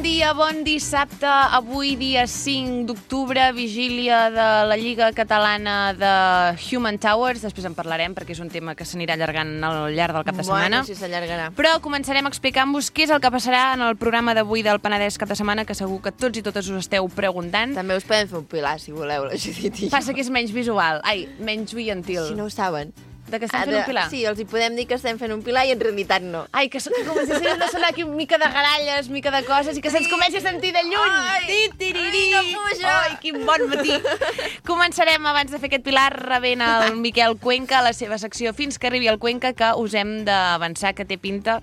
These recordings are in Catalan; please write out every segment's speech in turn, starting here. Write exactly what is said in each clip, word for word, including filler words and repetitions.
dia, bon dissabte. Avui, dia cinc d'octubre, vigília de la Lliga Catalana de Human Towers. Després en parlarem perquè és un tema que s'anirà allargant al llarg del cap de setmana. Bueno, sí s'allargarà. Però començarem explicant-vos què és el que passarà en el programa d'avui del Penedès cap de setmana, que segur que tots i totes us esteu preguntant. També us podem fer un pilar, si voleu, la Judit i jo. Passa que és menys visual, ai, menys oientil. Si no ho saben. De que estem Ah, fent de- un pilar? Sí, els hi podem dir que estem fent un pilar i en realitat no. Ai, que, so- que comencessin a sonar aquí una mica de garalles, mica de coses, i que se'ns comenci a sentir de lluny. Ai, Ti-tiriri. ai, que puja. Ai, quin bon matí. Començarem, abans de fer aquest pilar, rebent el Miquel Cuenca a la seva secció Fins que arribi el Cuenca, que us hem d'avançar, que té pinta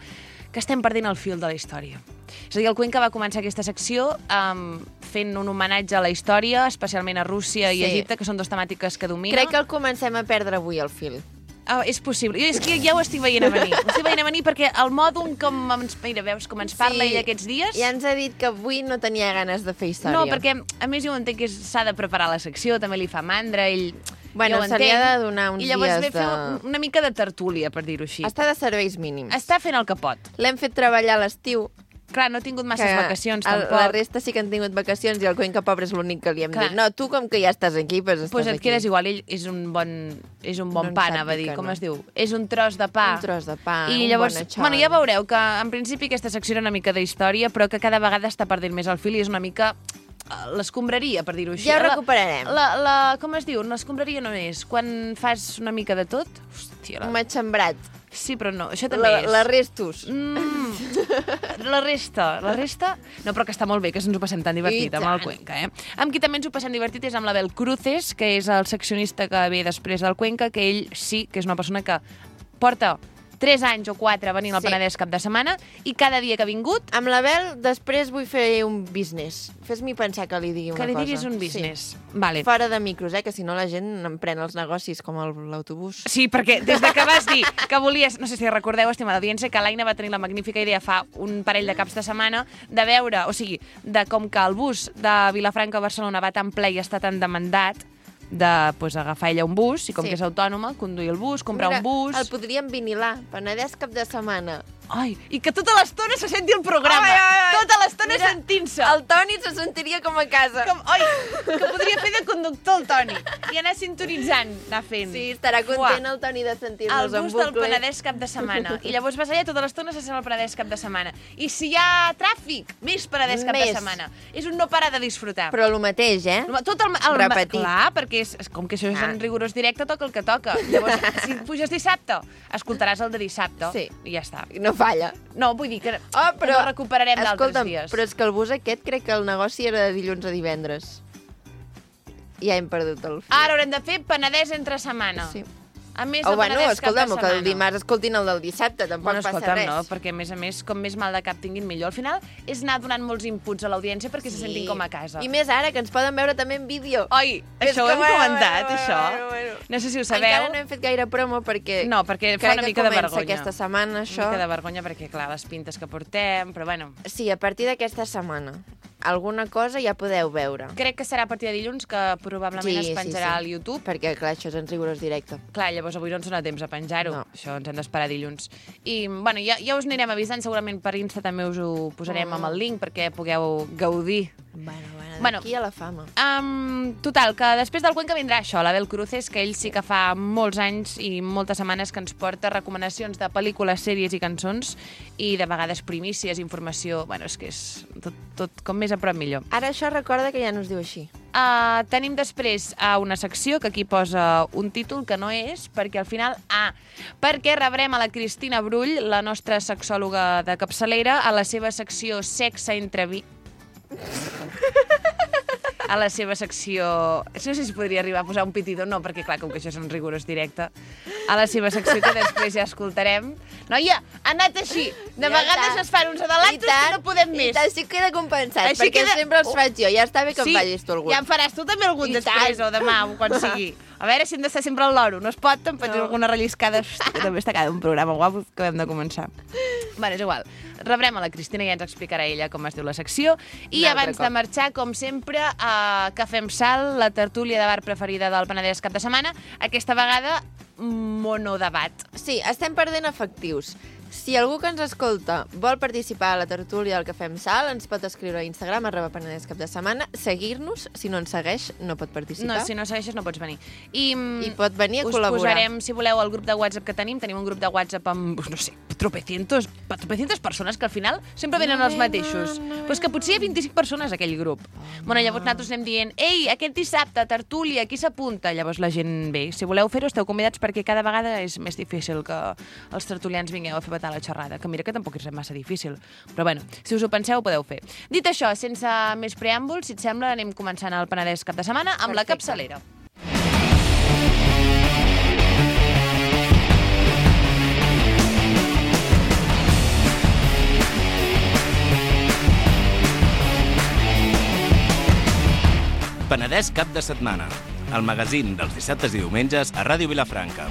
que estem perdent el fil de la història. És a dir, el Cuenca va començar aquesta secció um, fent un homenatge a la història, especialment a Rússia i Sí. Egipte, que són dues temàtiques que domina. Crec que el comencem a perdre avui, el fil. Oh, és possible. Jo és que ja ho estic veient a venir. Ho estic veient a venir perquè el mòdul com ens, mira, veus com ens parla Sí, ell aquests dies... Ja ens ha dit que avui no tenia ganes de fer història. No, perquè a més jo entenc que s'ha de preparar la secció, també li fa mandra, ell... Bueno, jo ho se li ha entenc. de donar uns I llavors dies ve fer de- una mica de tertúlia, per dir-ho així. Està de serveis mínims. Està fent el que pot. L'hem fet treballar a l'estiu. Clar, no ha tingut masses que vacacions, el- tampoc. La resta sí que han tingut vacacions i el Cuenca pobre és l'únic que li hem Clar. dit. No, tu com que ja estàs aquí, pues estàs Pues et aquí. quedes igual, ell és un bon, és un bon No en pa, sap anava a dir dir, que com no. es diu? És un tros de pa. Un tros de pa, I un llavors, bon bueno, ja veureu que en principi aquesta secció era una mica d'història, però que cada vegada està perdent més el fil i és una mica eh, l'escombraria, per dir-ho així. Ja ho La- recuperarem. La, la, com es diu? L'escombraria no és quan fas una mica de tot? Hòstia, la... Un matxembrat. Sí, però no, això també La, és. la restus. Mm, la resta, la resta... No, però que està molt bé, que ens ho passem tan divertit I amb el tant. Cuenca, eh? Amb qui també ens ho passem divertit és amb l'Abel Cruces, que és el seccionista que ve després del Cuenca, que ell sí que és una persona que porta tres anys o quatre venint al Sí. Penedès cap de setmana i cada dia que ha vingut Amb l'Abel, després vull fer un business. Fes-mi pensar que li digui una que li cosa. diguis un business. Sí. Vale. Fora de micros, eh? Que si no la gent em pren els negocis com el- l'autobús. Sí, perquè des de que vas dir que volies, no sé si recordeu, estimada audiència, que l'Aina va tenir la magnífica idea fa un parell de caps de setmana de veure, o sigui, de com que el bus de Vilafranca a Barcelona va tan ple i està tan demandat, de pues, agafar ella un bus, i com Sí. que és autònoma, conduir el bus, comprar Mira, un bus... el podríem vinilar. Penedès cap de setmana. Ai, i que tota l'estona se senti el programa. Ai, ai, ai. Tota l'estona Mira, sentint-se. El Toni se sentiria com a casa. Com, oi, que podria fer de conductor el Toni i anar sintonitzant, anar fent. Sí, estarà content el Toni de El sentir-nos en bus del bucle. Penedès cap de setmana. I llavors vas allà tota l'estona se sent el Penedès cap de setmana. I si hi ha tràfic, més Penedès cap Més. de setmana. És un no parar de disfrutar. Però el mateix, eh? Tot el, el, Repetit. Clar, perquè és, és com que això és Ah. en rigorós directe, toca el que toca. Llavors, si puges dissabte, escoltaràs el de dissabte. Sí. I ja està. I no falla. No, vull dir que, Oh, que però, no recuperarem d'altres escolta'm, dies. però és que el bus aquest crec que el negoci era de dilluns a divendres. Ja hem perdut el fil. Ara haurem de fer Penedès entre setmana. Sí. A més O de bueno, Penedès cap de escolta'm, o que setmana. el dimarts escoltin el del dissabte, tampoc Bueno, passa escolta'm, res. no, perquè a més a més, com més mal de cap tinguin millor. Al final és anar donant molts inputs a l'audiència perquè se sentin com a casa. I més ara, que ens poden veure també en vídeo. Oi, És això ho que hem bueno, comentat, bueno, això. bueno, bueno. No sé si ho sabeu. Encara no hem fet gaire promo perquè... No, perquè fa crec una que mica de comença vergonya. aquesta setmana, això. Una mica de vergonya perquè, clar, les pintes que portem, però bueno... Sí, a partir d'aquesta setmana. Alguna cosa ja podeu veure. Crec que serà a partir de dilluns que probablement Sí, es sí, penjarà sí. al YouTube. Perquè, clar, això és en rigorós directe. Clar, llavors avui no ens dona temps a penjar-ho. No. Això ens hem d'esperar dilluns. I, bueno, ja, ja us anirem avisant, segurament per Insta també us ho posarem Mm. amb el link perquè pugueu gaudir. Bueno, bueno, Bueno. d'aquí a la fama. Um, total, que després del Cuenca vindrà això, l'Abel Cruces, que ell sí que fa molts anys i moltes setmanes que ens porta recomanacions de pel·lícules, sèries i cançons i de vegades primícies, informació... Bueno, és que és tot, tot com més a prop millor. Ara això recorda que ja no es diu així. Uh, tenim després uh, una secció que aquí posa un títol que no és, perquè al final... Ah, perquè rebrem a la Cristina Brull, la nostra sexòloga de capçalera, a la seva secció Sexe entre vi... a la seva secció... No sé si podria arribar a posar un pitidor, no, perquè clar, com que això és un rigorós directe. A la seva secció que després ja escoltarem. Noia, ha anat així. De Ja vegades està. es fan uns adelantos que no podem I més. tant, sí que queda compensat, Així perquè queda- sempre els faig jo. Ja està bé que Sí, em facis tu algun. ja en faràs tu també algun I després, tant. o demà, o quan sigui. A veure si hem d'estar sempre al loro. No es pot, em faig No. alguna relliscada. Hosti, també està cada un programa guapo que hem de començar. Bueno, és igual. Rebrem a la Cristina i ja ens explicarà ella com es diu la secció. I Un altre abans cop. de marxar, com sempre, a Cafè amb Sal, la tertúlia de bar preferida del Penedès cap de setmana. Aquesta vegada, monodebat. Sí, estem perdent efectius. Si algú que ens escolta vol participar a la tertúlia del Cafè amb Sal, ens pot escriure a Instagram, arroba Penedès cap de setmana, seguir-nos. Si no ens segueix, no pot participar. No, si no segueixes no pots venir. I, I pot venir a us col·laborar. Us posarem, si voleu, el grup de WhatsApp que tenim. Tenim un grup de WhatsApp amb, no sé, tropecientos, tropecientos persones que al final sempre venen No els ve, mateixos. no, no Però és que potser hi ha vint-i-cinc persones a aquell grup. Bueno, llavors nosaltres anem dient, ei, aquest dissabte, tertúlia, qui s'apunta? Llavors la gent ve. Si voleu fer-ho, esteu convidats perquè cada vegada és més difícil que els tertulians vingueu a fer petar la xerrada, que mira que tampoc és massa difícil. Però bueno, si us ho penseu, ho podeu fer. Dit això, sense més preàmbuls, si et sembla, anem començant el Penedès cap de setmana amb la capçalera. Penedès cap de setmana, el magazín dels dissabtes i diumenges a Ràdio Vilafranca.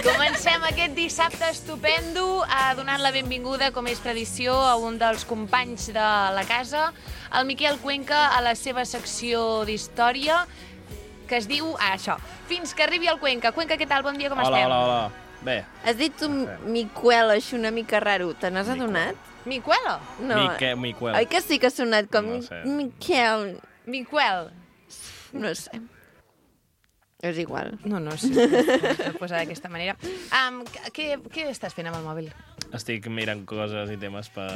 Comencem aquest dissabte estupendo a donant la benvinguda, com és tradició, a un dels companys de la casa, el Miquel Cuenca, a la seva secció d'història, que es diu, ah, això, Fins que arribi el Cuenca. Cuenca, què tal? Bon dia, com hola, estem? Hola, hola, hola. Bé. Has dit un Miquel, així una mica raro. Te n'has adonat? Miquel? No. Mique, Miquel. Oi que sí que ha sonat com No sé. Miquel? Miquel. No sé. És igual. No, no, sí, no posar d'aquesta manera. Um, què, què estàs fent amb el mòbil? Estic mirant coses i temes per,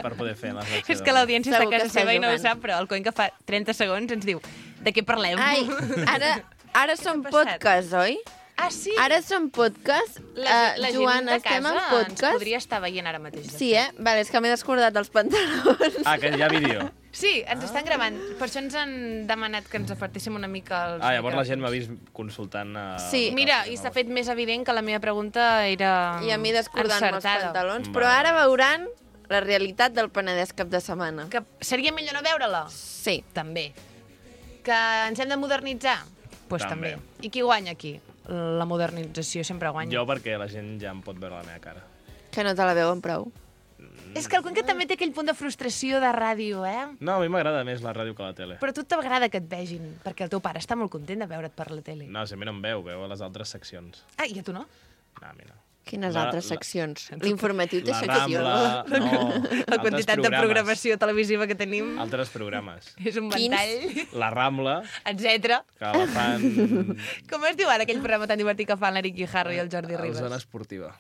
per poder fer la secció. És que l'audiència està a Segur que casa està seva i no ho jugant. sap, però el Cuenca fa trenta segons ens diu de què parlem? Ai, ara, ara som Què ha passat? podcast, oi? Ah, sí? Ara som podcast. La, Uh, la Joan, gent de estem casa en ens podcast. podria estar veient ara mateix. Sí, eh? Vale, és que m'he descordat els pantalons. Ah, que hi ha vídeo. Sí, ens estan gravant. Per això ens han demanat que ens afartéssim una mica els Ah, llavors la gent m'ha micròfons. vist consultant... Uh, Sí. Mira, i s'ha fet més evident que la meva pregunta era I a mi descordant-me els encertada. pantalons. Vale. Però ara veuran la realitat del Penedès cap de setmana. Que seria millor no veure-la? Sí. També. Que ens hem de modernitzar? Doncs pues també. També. I qui guanya aquí? La modernització sempre guanya. Jo perquè la gent ja em pot veure la meva cara. Que no te la veuen prou. És que el Cuenca també té aquell punt de frustració de ràdio, eh? No, a mi m'agrada més la ràdio que la tele. Però a tu t'agrada que et vegin, perquè el teu pare està molt content de veure't per la tele. No, si a mi no em veu, veu a les altres seccions. Ah, i a tu no? No, a mi no. Quines La- altres la- seccions? L'informatiu té La secció. Rambla, no. La quantitat de programació televisiva que tenim Altres programes. és un Quins? ventall, La Rambla, etcètera. que la fan Com es diu ara aquell programa tan divertit que fan l'Eric Guijarro i el Jordi a la Ribas? zona esportiva.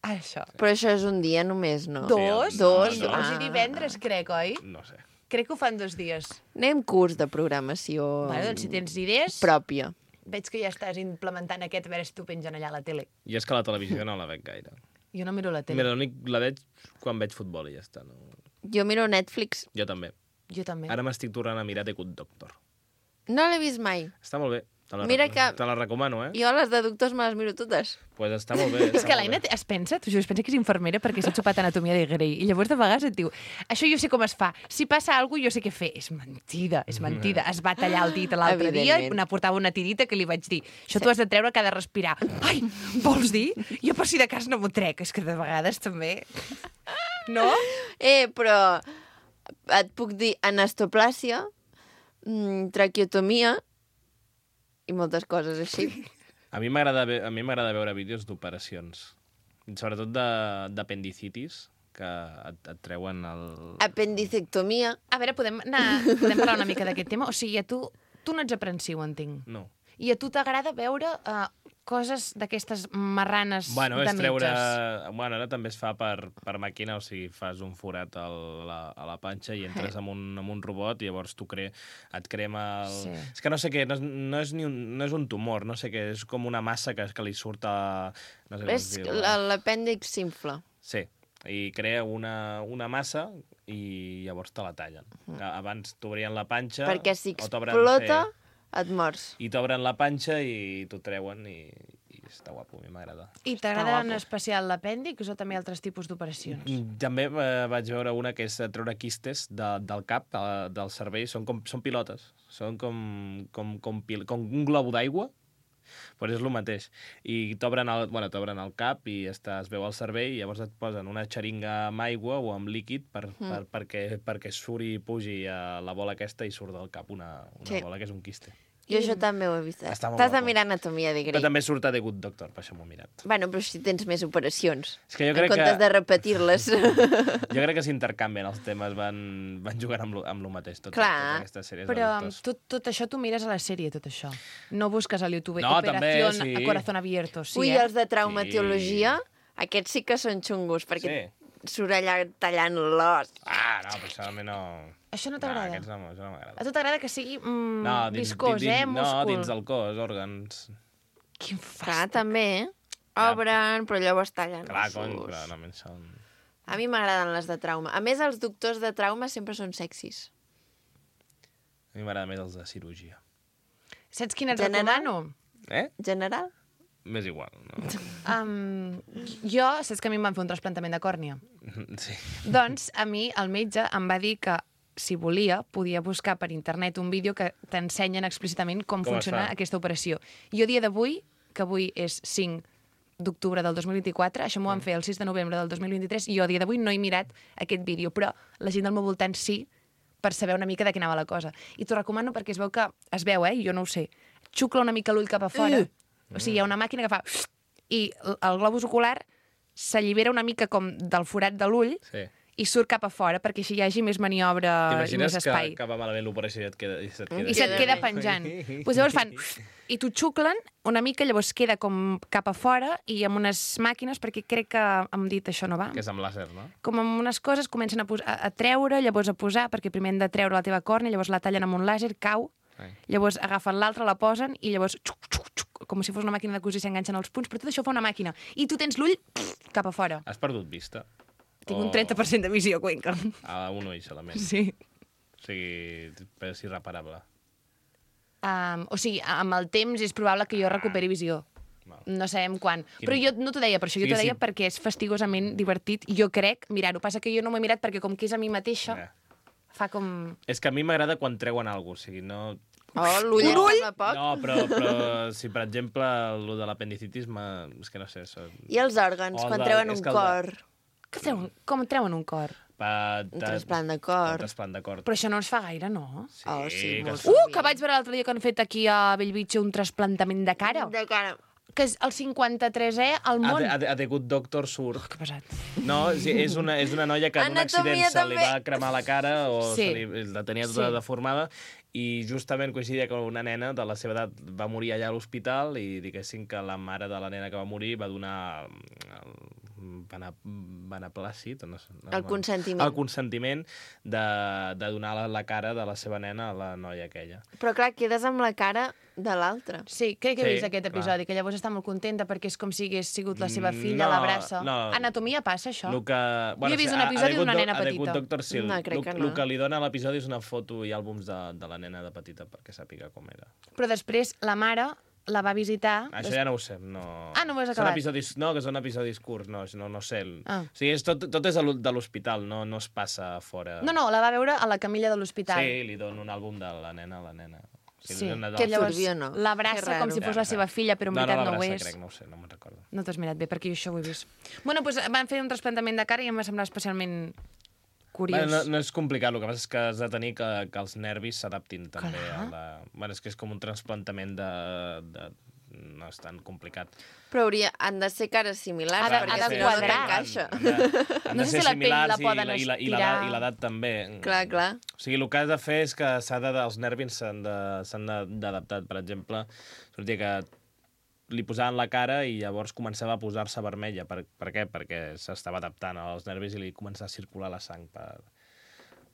Ah, això. Però això és un dia només, no? Dos? Dos, Dijous ah. i divendres, crec, oi? No sé. Crec que ho fan dos dies. Anem curs de programació Vale, doncs si tens idees, pròpia. veig que ja estàs implementant aquest, a veure si t'ho pengen allà a la tele. I és que la televisió no la veig gaire. Jo no miro la tele. Mira, l'únic la veig quan veig futbol i ja està. No? Jo miro Netflix. Jo també. Jo també. Ara m'estic tornant a mirar The Good Doctor. No l'he vist mai. Està molt bé. Te la, Mira rec- que- te la recomano, eh? Jo les de doctors me les miro totes. Pues està molt bé. És està que molt l'Aina bé. es pensa, t'ho juro, es pensa que és infermera perquè s'ha xopat anatomia de Grey. I llavors de vegades et diu, això jo sé com es fa. Si passa alguna cosa, jo sé què fer. És mentida, és mentida. Es va tallar el dit l'altre dia i Evidentment. una portava una tirita que li vaig dir, això t'ho has de treure cada respirar. Ai, vols dir? Jo per si de cas no m'ho trec. És que de vegades també... No? Eh, però et puc dir anastoplàsia, mm, traqueotomia i moltes coses així. A mi m'agrada ve- a mi m'agrada veure vídeos d'operacions. Sobretot de- d'apendicitis, que et, et treuen el... Apendicectomia. A veure, podem, anar, podem parlar una mica d'aquest tema? O sigui, a tu, tu no ets aprensiu, entenc. No. I a tu t'agrada veure uh, coses d'aquestes marranes Bueno, de és treure... metges? Bueno, ara també es fa per, per màquina, o sigui, fas un forat al, la, a la panxa i entres amb un, amb un robot i llavors tu cre... et crema el... Sí. És que no sé què, no és, no, és ni un, no és un tumor, no sé què, és com una massa que, que li surt a... No sé com És es diu. la- l'apèndix s'infla. Sí, i crea una, una massa i llavors te la tallen. Abans t'obrien la panxa... Perquè si o t'obren- explota, sí. Et mors. I t'obren la panxa i t'ho treuen i, i està guapo, a mi m'agrada. I t'agrada en especial l'apèndix o també altres tipus d'operacions? També eh, vaig veure una que és treure quistes de, del cap, de, del cervell, són, com, són pilotes, són com, com, com, pil, com un globo d'aigua, però és el mateix. I t'obren el, bueno, t'obren el cap i està, es veu el cervell i llavors et posen una xeringa amb aigua o amb líquid per, mm. per, perquè, perquè suri i pugi a la bola aquesta i surt del cap una, una sí. bola que és un quiste. Jo això també ho he vist. Està molt T'has de guapo. mirar Anatomia de Grey. Però també surt a The Good Doctor, per això m'ho he mirat. Bueno, però si tens més operacions. És que jo en crec comptes que... de repetir-les. Jo crec que s'intercanvien els temes, van, van jugant amb lo, amb lo mateix. Tot, Clar, totes aquestes sèries Però de doctors. tot, tot això tu mires a la sèrie, tot això. No busques al YouTube No, també, Operación sí. a Corazón Abierto. Sí, Ui, eh? els de traumatologia, sí. aquests sí que són xungos, perquè Sí. surt allà tallant l'os. Ah, no, personalment no... Això no No, t'agrada? aquests no, això no m'agrada. A tu t'agrada que sigui mm, No, dins, viscós, dins, eh? No, Múscul. dins del cos, òrgans... Quin Clar, fàstic. també, obren, però llavors tallen Clar, ossos. cony, però no me'n són... A mi m'agraden les de trauma. A més, els doctors de trauma sempre són sexis. A mi m'agrada més els de cirurgia. Saps quin et General? recomano? Eh? General? M'és igual, no? Um, jo, saps que a mi em van fer un trasplantament de còrnia? Sí. Doncs a mi el metge em va dir que si volia, podia buscar per internet un vídeo que t'ensenyen explícitament com, Com es funciona fa? aquesta operació. Jo, a dia d'avui, que avui és cinc d'octubre del dos mil vint-i-quatre, això m'ho van fer el sis de novembre del dos mil vint-i-tres, i jo a dia d'avui no he mirat aquest vídeo, però la gent del meu voltant sí, per saber una mica de què anava la cosa. I t'ho recomano perquè es veu que, es veu, eh, jo no ho sé, xucla una mica l'ull cap a fora, o sigui, hi ha una màquina que fa... i el globus ocular s'allibera una mica com del forat de l'ull, Sí. i surt cap a fora perquè així hi hagi més maniobra i més T'imagines que, espai. que va malament l'operació i et queda... I se't queda, I se't queda bé. penjant. Pues llavors fan... I t'ho xuclen una mica, llavors queda com cap a fora i amb unes màquines, perquè crec que hem dit això no va. Que és amb làser, no? Com amb unes coses comencen a, posar, a treure, llavors a posar, perquè primer han de treure la teva còrnia, llavors la tallen amb un làser, cau, Ai. llavors agafen l'altra, la posen i llavors xuc, xuc, xuc, com si fos una màquina de cosir, s'enganxen els punts, però tot això fa una màquina. I tu tens l'ull cap a fora. Has perdut vista? Tinc un trenta per cent de visió, Cuenca. A un ull solament. Sí. O sigui, és irreparable. Um, o sigui, amb el temps és probable que jo recuperi visió. Val. No sabem quan. Quin- Però jo no t'ho deia per això, jo Sí, t'ho deia sí. perquè és fastigosament divertit, jo crec, mirar-ho. Passa que jo no m'ho he mirat perquè com que és a mi mateixa, Eh. fa com... És que a mi m'agrada quan treuen alguna cosa, o sigui, no... Oh, l'ull em sembla poc. No, però, però si, per exemple, el de l'apendicitis, m'ha- és que no sé... Això... I els òrgans, O el quan de- treuen és un que el de- cor. Que treuen, com treuen un cor? Pa, Un trasplant de cor. Un trasplant de cor. Però això no es fa gaire, no? Sí, Oh, sí, que molt es- sí. Uh, que vaig veure l'altre dia que han fet aquí a Bellvitge un trasplantament de cara, De cara. que és el cinquanta-tresè al A, món. The- a, The- a The Good Doctor surt. Que pesat. No, sí, és una, és una noia que en un Anatomia accident se li també. va cremar la cara o Sí. se li, la tenia tota Sí. deformada i justament coincidia que una nena de la seva edat va morir allà a l'hospital i diguéssim que la mare de la nena que va morir va donar el bena, beneplàcit, no sé, no, El consentiment. el consentiment de, de donar la, la cara de la seva nena a la noia aquella. Però clar, quedes amb la cara de l'altre. Sí, crec que he Sí, vist aquest clar. episodi, que llavors està molt contenta perquè és com si hagués sigut la seva Mm, filla, no, l'abraça. no. Anatomia passa, això? El que, he vist sí, un a- a episodi The Good d'una Doc- nena a The petita. Good Doctor, sí, No, crec el, que no. el que li dona a l'episodi és una foto i àlbums de, de la nena de petita perquè sàpiga com era. Però després la mare la va visitar... Això ja no ho sé. No... Ah, no ho has Són acabat? episodis, no, que són episodis curts, no, no, no sé. El... Ah. O sigui, és tot, tot és a l'ho- de l'hospital, no, no es passa fora. No, no, la va veure a la camilla de l'hospital. Sí, li dono un àlbum de la nena a la nena. O sigui, Sí, una de que les- llavors Turbio, no? l'abraça Que com raro. si fos Ja, la seva ja. filla, però en no, veritat no, no, ho l'abraça, és. crec, no ho sé, no me'n recordo. No t'has mirat bé, perquè jo això ho he vist. Bueno, doncs van fer un trasplantament de cara i em va semblar especialment curiós. Bueno, no, no és complicat, el que passa és que has de tenir que, que els nervis s'adaptin també Clar. a la... Bueno, és que és com un trasplantament de... de... no és tan complicat. Però hauria, han de ser cares similars, Ha de- perquè ha de si no, no quadrar. t'encaixa. Han de, han No de sé ser si la pell similars la i poden la- i la- i estirar. l'edat i l'edat també. Clar, clar. O sigui, el que has de fer és que s'ha de, els nervis s'han de- s'han de- d'adaptar. Per exemple, sortia que li posaven la cara i llavors començava a posar-se vermella. Per, per què? Perquè s'estava adaptant als nervis i li començava a circular la sang per,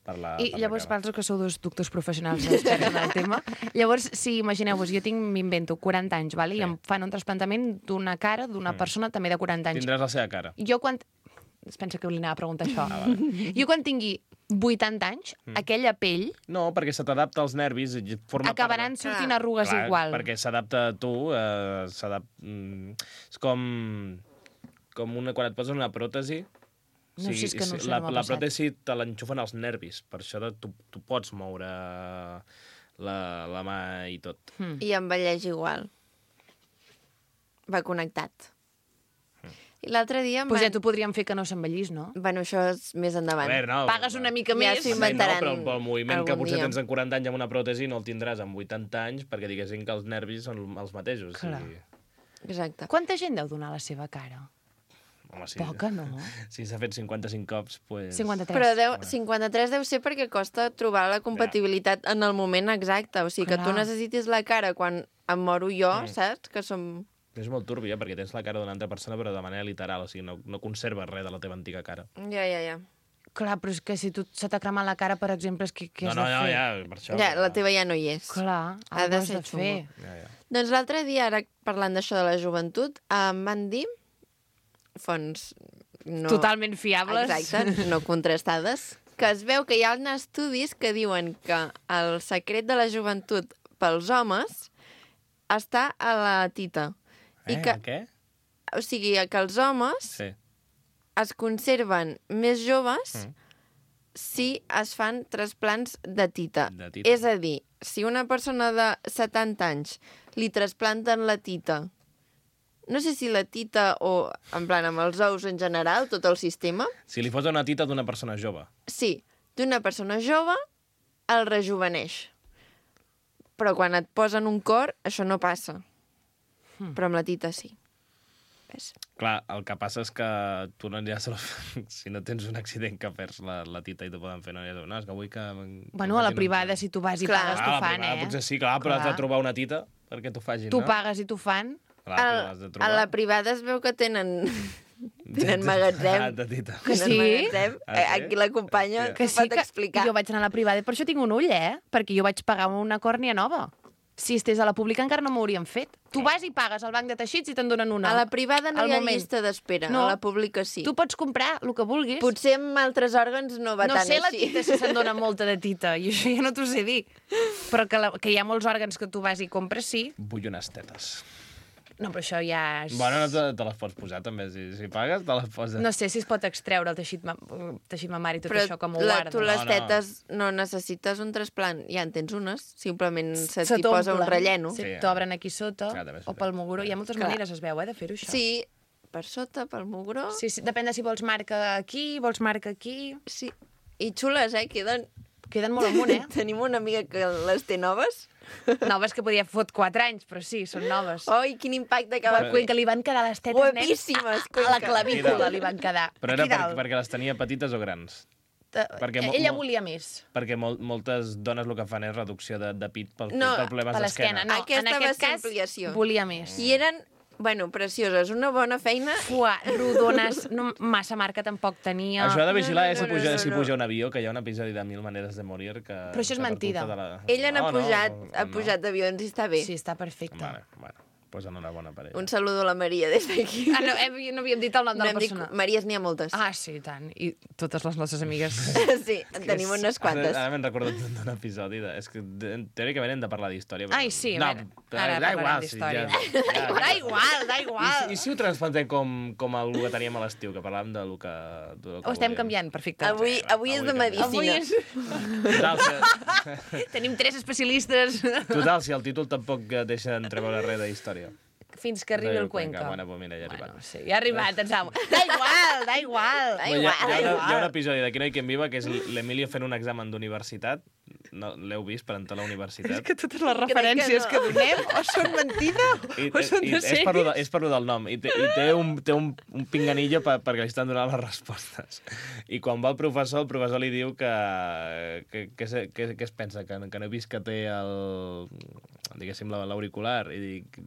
per la I per llavors, la cara. vosaltres que sou dos doctors professionals experts en el tema, llavors, si imagineu-vos, jo tinc, m'invento, quaranta anys, vale? Sí. I em fan un trasplantament d'una cara d'una Mm. persona també de quaranta anys. Tindràs la seva cara. Jo quan... Es pensa que li anava a preguntar això. Ah, vale. Jo quan tingui vuitanta anys, mm. aquella pell... No, perquè se t'adapta als nervis i forma acabaran part... sortint arrugues Clar, igual. perquè s'adapta a tu, eh, s'adapta... Mm, és com... com una, quan et posen una pròtesi... No, si és que no sé, la, no m'ha la passat. pròtesi te l'enxufen als nervis, per això de, tu, tu pots moure la, la mà i tot. Mm. I envelleix igual. Va connectat. I l'altre dia... em Pues ja van- t'ho podríem fer que no s'envellís, no? Bueno, això és més A endavant. veure, no, Pagues una mica Ja més. s'ho Sí, inventaran no, però, però el moviment que algun potser dia. tens en quaranta anys amb una pròtesi no el tindràs amb vuitanta anys perquè diguessin que els nervis són els mateixos. Clar. I... Exacte. Quanta gent deu donar la seva cara? Home, sí. Poca, no? Si s'ha fet cinquanta-cinc cops, pues... cinquanta-tres. Però deu, cinquanta-tres deu ser perquè costa trobar la compatibilitat en el moment exacte. O sigui, que Clar. tu necessitis la cara quan em moro jo, Mm. saps? Que som... És molt turbi, eh? Perquè tens la cara d'una altra persona, però de manera literal, o sigui, no, no conserves res de la teva antiga cara. Ja, ja, ja. Clar, però és que si tu se t'ha cremat la cara, per exemple, és que què no, has no, de no, fer? ja, per això... Ja, però- la teva ja no hi és. Clar, Ha ha de de ser de fer. xungo. Ja, ja. Doncs l'altre dia, ara parlant d'això de la joventut, em van dir, fonts no... Totalment fiables. Exacte, no contrastades, que es veu que hi ha estudis que diuen que el secret de la joventut pels homes està a la tita. Eh, I que, què? o sigui, que els homes Sí. es conserven més joves Mm. si es fan trasplants de tita. De tita. És a dir, si una persona de setanta anys li trasplanten la tita, no sé si la tita o, en plan, amb els ous en general, tot el sistema, Si li fos una tita d'una persona jove. sí, d'una persona jove el rejuveneix. Però quan et posen un cor, això no passa. Hmm. Però amb la tita sí. Ves? Clar, el que passa és que tu no aniràs a la... Si no tens un accident que perds la, la tita i t'ho poden fer, no aniràs a... No, és que vull que... Bueno, a la privada, si tu vas i Clar. pagues, Ah, t'ho la fan, privada eh? potser sí, clar, però has Clar. de trobar una tita perquè t'ho facin, Tu no? pagues i t'ho fan. Clar, però A, has de a trobar... la privada es veu que tenen, tenen magatzem. Ah, de tita. Que Tenen sí? magatzem. Ah, sí? Eh, Aquí la companya Hòstia. que pot explicar. Jo vaig anar a la privada i per això tinc un ull, eh? Perquè jo vaig pagar una còrnia nova. Si estés a la pública encara no m'ho haurien fet. Tu vas i pagues al banc de teixits i te'n donen una. A la privada no Al hi ha moment. llista d'espera, No. a la pública sí. Tu pots comprar el que vulguis. Potser amb altres òrgans no va no tant sé la així. tita si se'n dona molta de tita, i això ja no t'ho sé dir. Però que, la, que hi ha molts òrgans que tu vas i compres, sí. Vull unes tetes. No, però això ja és... Bueno, no te, te les pots posar, també. Si, si pagues, te les poses. No sé si es pot extreure el teixit, ma teixit mamari i tot Però això, com ho la, guarda. tu les No, no. tetes no necessites un trasplant. Ja en tens unes, simplement se Se t'hi posa un t'omplen. relleno. Sí, Sí. t'obren aquí sota, Clar, també és o pel veritat. moguró. Hi ha moltes Clar. maneres, es veu, eh, de fer-ho, això. Sí, per sota, pel mugró. Sí, sí, depèn de si vols marca aquí, vols marca aquí... Sí. I xules, eh? Queden... Queden molt amunt, eh? Tenim una amiga que les té noves. Noves que podia fot quatre anys, però sí, són noves. Oi, quin impacte que A va la Cuenca li van quedar les tetes, Guapíssimes, nen, a, a la Cuenca. clavícula li van quedar. Però era Aquí per, dalt. perquè les tenia petites o grans? Eh, perquè mo- Ella mo- volia més. Perquè mol, moltes dones el que fan és reducció de, de pit pel, No, per problemes Per l'esquena, d'esquena. no. Aquesta en va aquest ser cas, ampliació. volia més. I eren, bueno, precioses. Una bona feina. Fuà, rodones, no, massa marca tampoc tenia. Això ha de vigilar No, no, és si no, puja, no, si no. puja un avió, que hi ha un episodi de Mil maneres de morir que... Però això és que per mentida. culpa de La... Ella n'ha No, no, pujat, no, ha no. pujat d'avions i està bé. Sí, està perfecte. Vale, bueno, pues enhorabona per ella. Un saludo a la Maria des d'aquí. Ah, no, eh, no havíem dit el nom de No la hem dit- persona. Maries n'hi ha moltes. Ah, sí, i tant. I totes les nostres amigues. Sí, en tenim unes quantes. Ara, ara me'n recordo d'un episodi. De, és que de, teòricament hem de parlar d'història. Ai, sí, a no, veure, però ara da parlarem igual, d'història. Sí, ja, ja, Da igual, da I, igual. si- I si ho transplantem com, com el que teníem a l'estiu, que parlàvem de lo que... De lo que Ho estem volíem. canviant, perfecte. Avui, avui és de Avui canviem. Avui medicina. és... Total, si, Tenim tres especialistes. total, si el títol tampoc eh, deixa entreveure res de història. Fins que arribi el Cuenca. Bueno, pues mira, ja ha arribat. Bueno, sí, ja ha arribat, ens amo. Da igual, da igual. Da Bueno, hi, ha, igual, hi, ha da una, hi ha un igual. episodi d'Aquí no hi quien viva que és l'Emilio fent un examen d'universitat. No, l'heu vist per entrar a la universitat? És que totes les referències no. que donem o són mentida I, o són i, de és, per lo de, sèries. és per lo del nom. I té, i té, un, té un, un pinganillo per, perquè li estan donant les respostes. I quan va el professor, el professor li diu que, que, que, se- que, que es pensa, que, que no he vist que té el, diguéssim, la- l'auricular. I dic,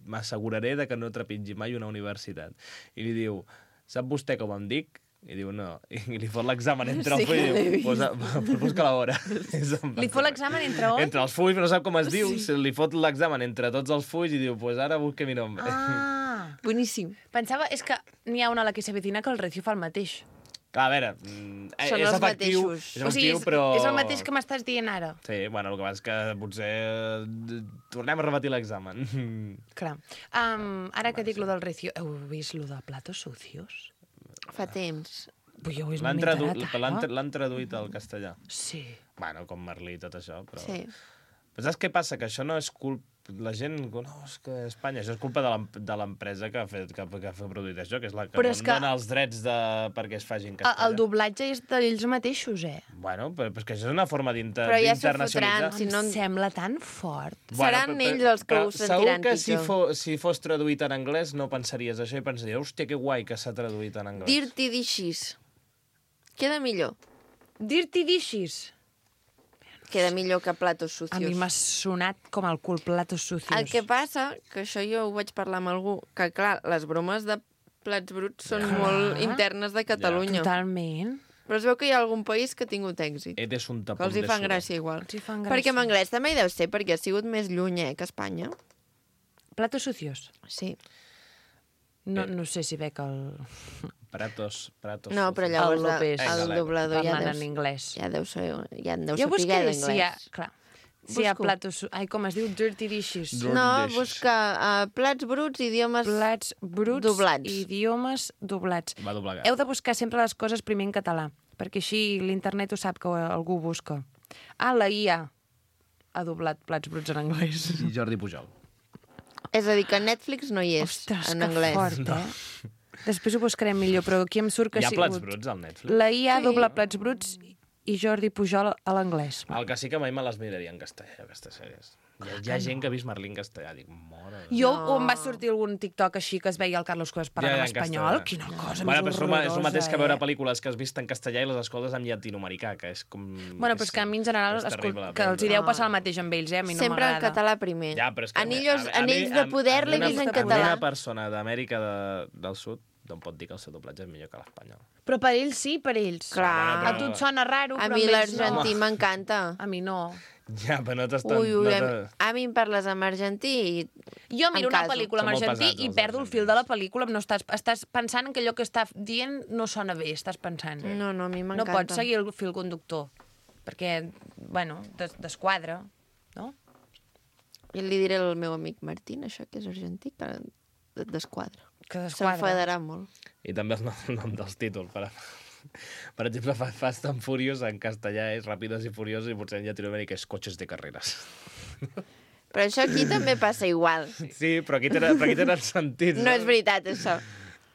m'asseguraré de que no trepitgi mai una universitat. I li diu, sap vostè com em dic? I diu, no. I li fot l'examen entre el Sí full que i l'he diu, vist. posa, pues busca l'hora. Li fot l'examen entre on? Entre els fulls, però no sap com es diu. Sí. Li fot l'examen entre tots els fulls i diu, pues ara busque mi nom. Ah, Boníssim. pensava, és que n'hi ha una a la que s'avecina que el Recio fa el mateix. Clar, a veure, mm, Són és els efectiu, mateixos. és O sigui, efectiu, és, però... és el mateix que m'estàs dient ara. Sí, bueno, el que passa és que potser eh, tornem a repetir l'examen. Clar. Um, ara que dic lo del recio... Heu vist lo de platos sucios? Fa temps. Pues jo ho he L'han tradu enterat l'han ara. l'han traduït al castellà. Sí. Bueno, com Merlí i tot això, però... Sí. Però saps què passa? Que això no és culpa... La gent... No, és que Espanya... Això és culpa de l'em- de l'empresa que ha fet que, que ha produït això, que és la que Però no és que- dona els drets de... perquè es faci en El, castellà. el doblatge és d'ells mateixos, eh? Bueno, però, però és que això és una forma d'inter- Però ja s'ho d'internacionalitzar. fotran, si no- Em sembla tan fort. Seran però- ells els que però ho sentiran Segur que si, pitjor. fo, si fos traduït en anglès no pensaries això i pensaries, hòstia, que guai que s'ha traduït en anglès. Dirty dishes. Queda millor. Dirty dishes. Queda millor que platos A mi sucios. m'ha sonat com el cul platos sucios. El que passa, que això jo ho vaig parlar amb algú, que clar, les bromes de plats bruts són Ja. molt internes de Catalunya. Totalment. Però es veu que hi ha algun país que ha tingut èxit. Eres un Que tapón els hi de fan sudor. gràcia igual. Els hi fan gràcia. Perquè en anglès també hi deu ser, perquè ha sigut més lluny, eh, que Espanya. Platos sucios. Sí. No, Eh. no sé si veig el... Pratos, pratos. No, però El llavors López. el, el Vinga, doblador ja parlant deu, en anglès. ja deu ser, ja en deu Jo saber buscaré si hi ha... d'anglès. Clar, si hi ha Busco. platos... su- Ai, com es diu? Dirty dishes. Dirty No, dishes. busca uh, plats bruts, idiomes... Plats bruts Doblats. i idiomes doblats. Va doblegar. Heu de buscar sempre les coses primer en català, perquè així l'internet ho sap que algú ho busca. Ah, la I A ha doblat plats bruts en anglès. I Jordi Pujol. És a dir, que Netflix no hi és Ostres, en que anglès. fort, eh? Després ho buscarem millor, però aquí em surt que Hi ha ha plats sigut... bruts al Netflix? La I A Sí. dobla plats bruts i Jordi Pujol a l'anglès. El que sí que mai me les miraria en castellà, aquestes sèries. Hi ha, hi ha gent que ha vist Merlí en castellà. Dic, mora... de- Jo No. em va sortir algun TikTok així que es veia el Carlos Cuevas parlant en espanyol. Quina cosa bueno, més però és, el, ma- és el mateix que veure horrorosa, eh? pel·lícules que has vist en castellà i les escoltes en llatinoamericà, que és com... Bueno, però és que a mi en general és escol... terrible que els hi aprendre. deu passar el mateix amb ells, eh? A mi no Sempre en m'agrada. català primer. Ja, però és que... Anillos, a- a- a anells mi- de a- poder a mi l'he una- vist en a mi català. Una persona d'Amèrica de, del Sud no em pot dir que el seu doblatge és millor que l'espanyol. Però per ells sí, per ells. Clar. A tu et sona raro, A però mi amb ells l'argentí no. m'encanta. A mi no. Ja, però no t'estan... Ui, ui, no a, te- a mi em parles en argentí i... Jo miro Em una caso. pel·lícula en Són molt argentí pesats, i els perdo el fil de argentins. la pel·lícula. No estàs, estàs pensant en que allò que està dient no sona bé, estàs pensant. No, no, a mi No m'encanta. pots seguir el fil conductor, perquè, bueno, des desquadra, no? I li diré al meu amic Martín, això que és argentí, que et desquadra. Que S'enfadarà desquadra. molt. I també el nom, el nom dels títols. Per, per exemple, Fa- Fast and Furious en castellà és Ràpidos i Furiosos i potser en Llatinoamèrica és Cotxes de carreras. Però això aquí també passa igual. Sí, però aquí tenen, però aquí tenen sentit. No és veritat, això.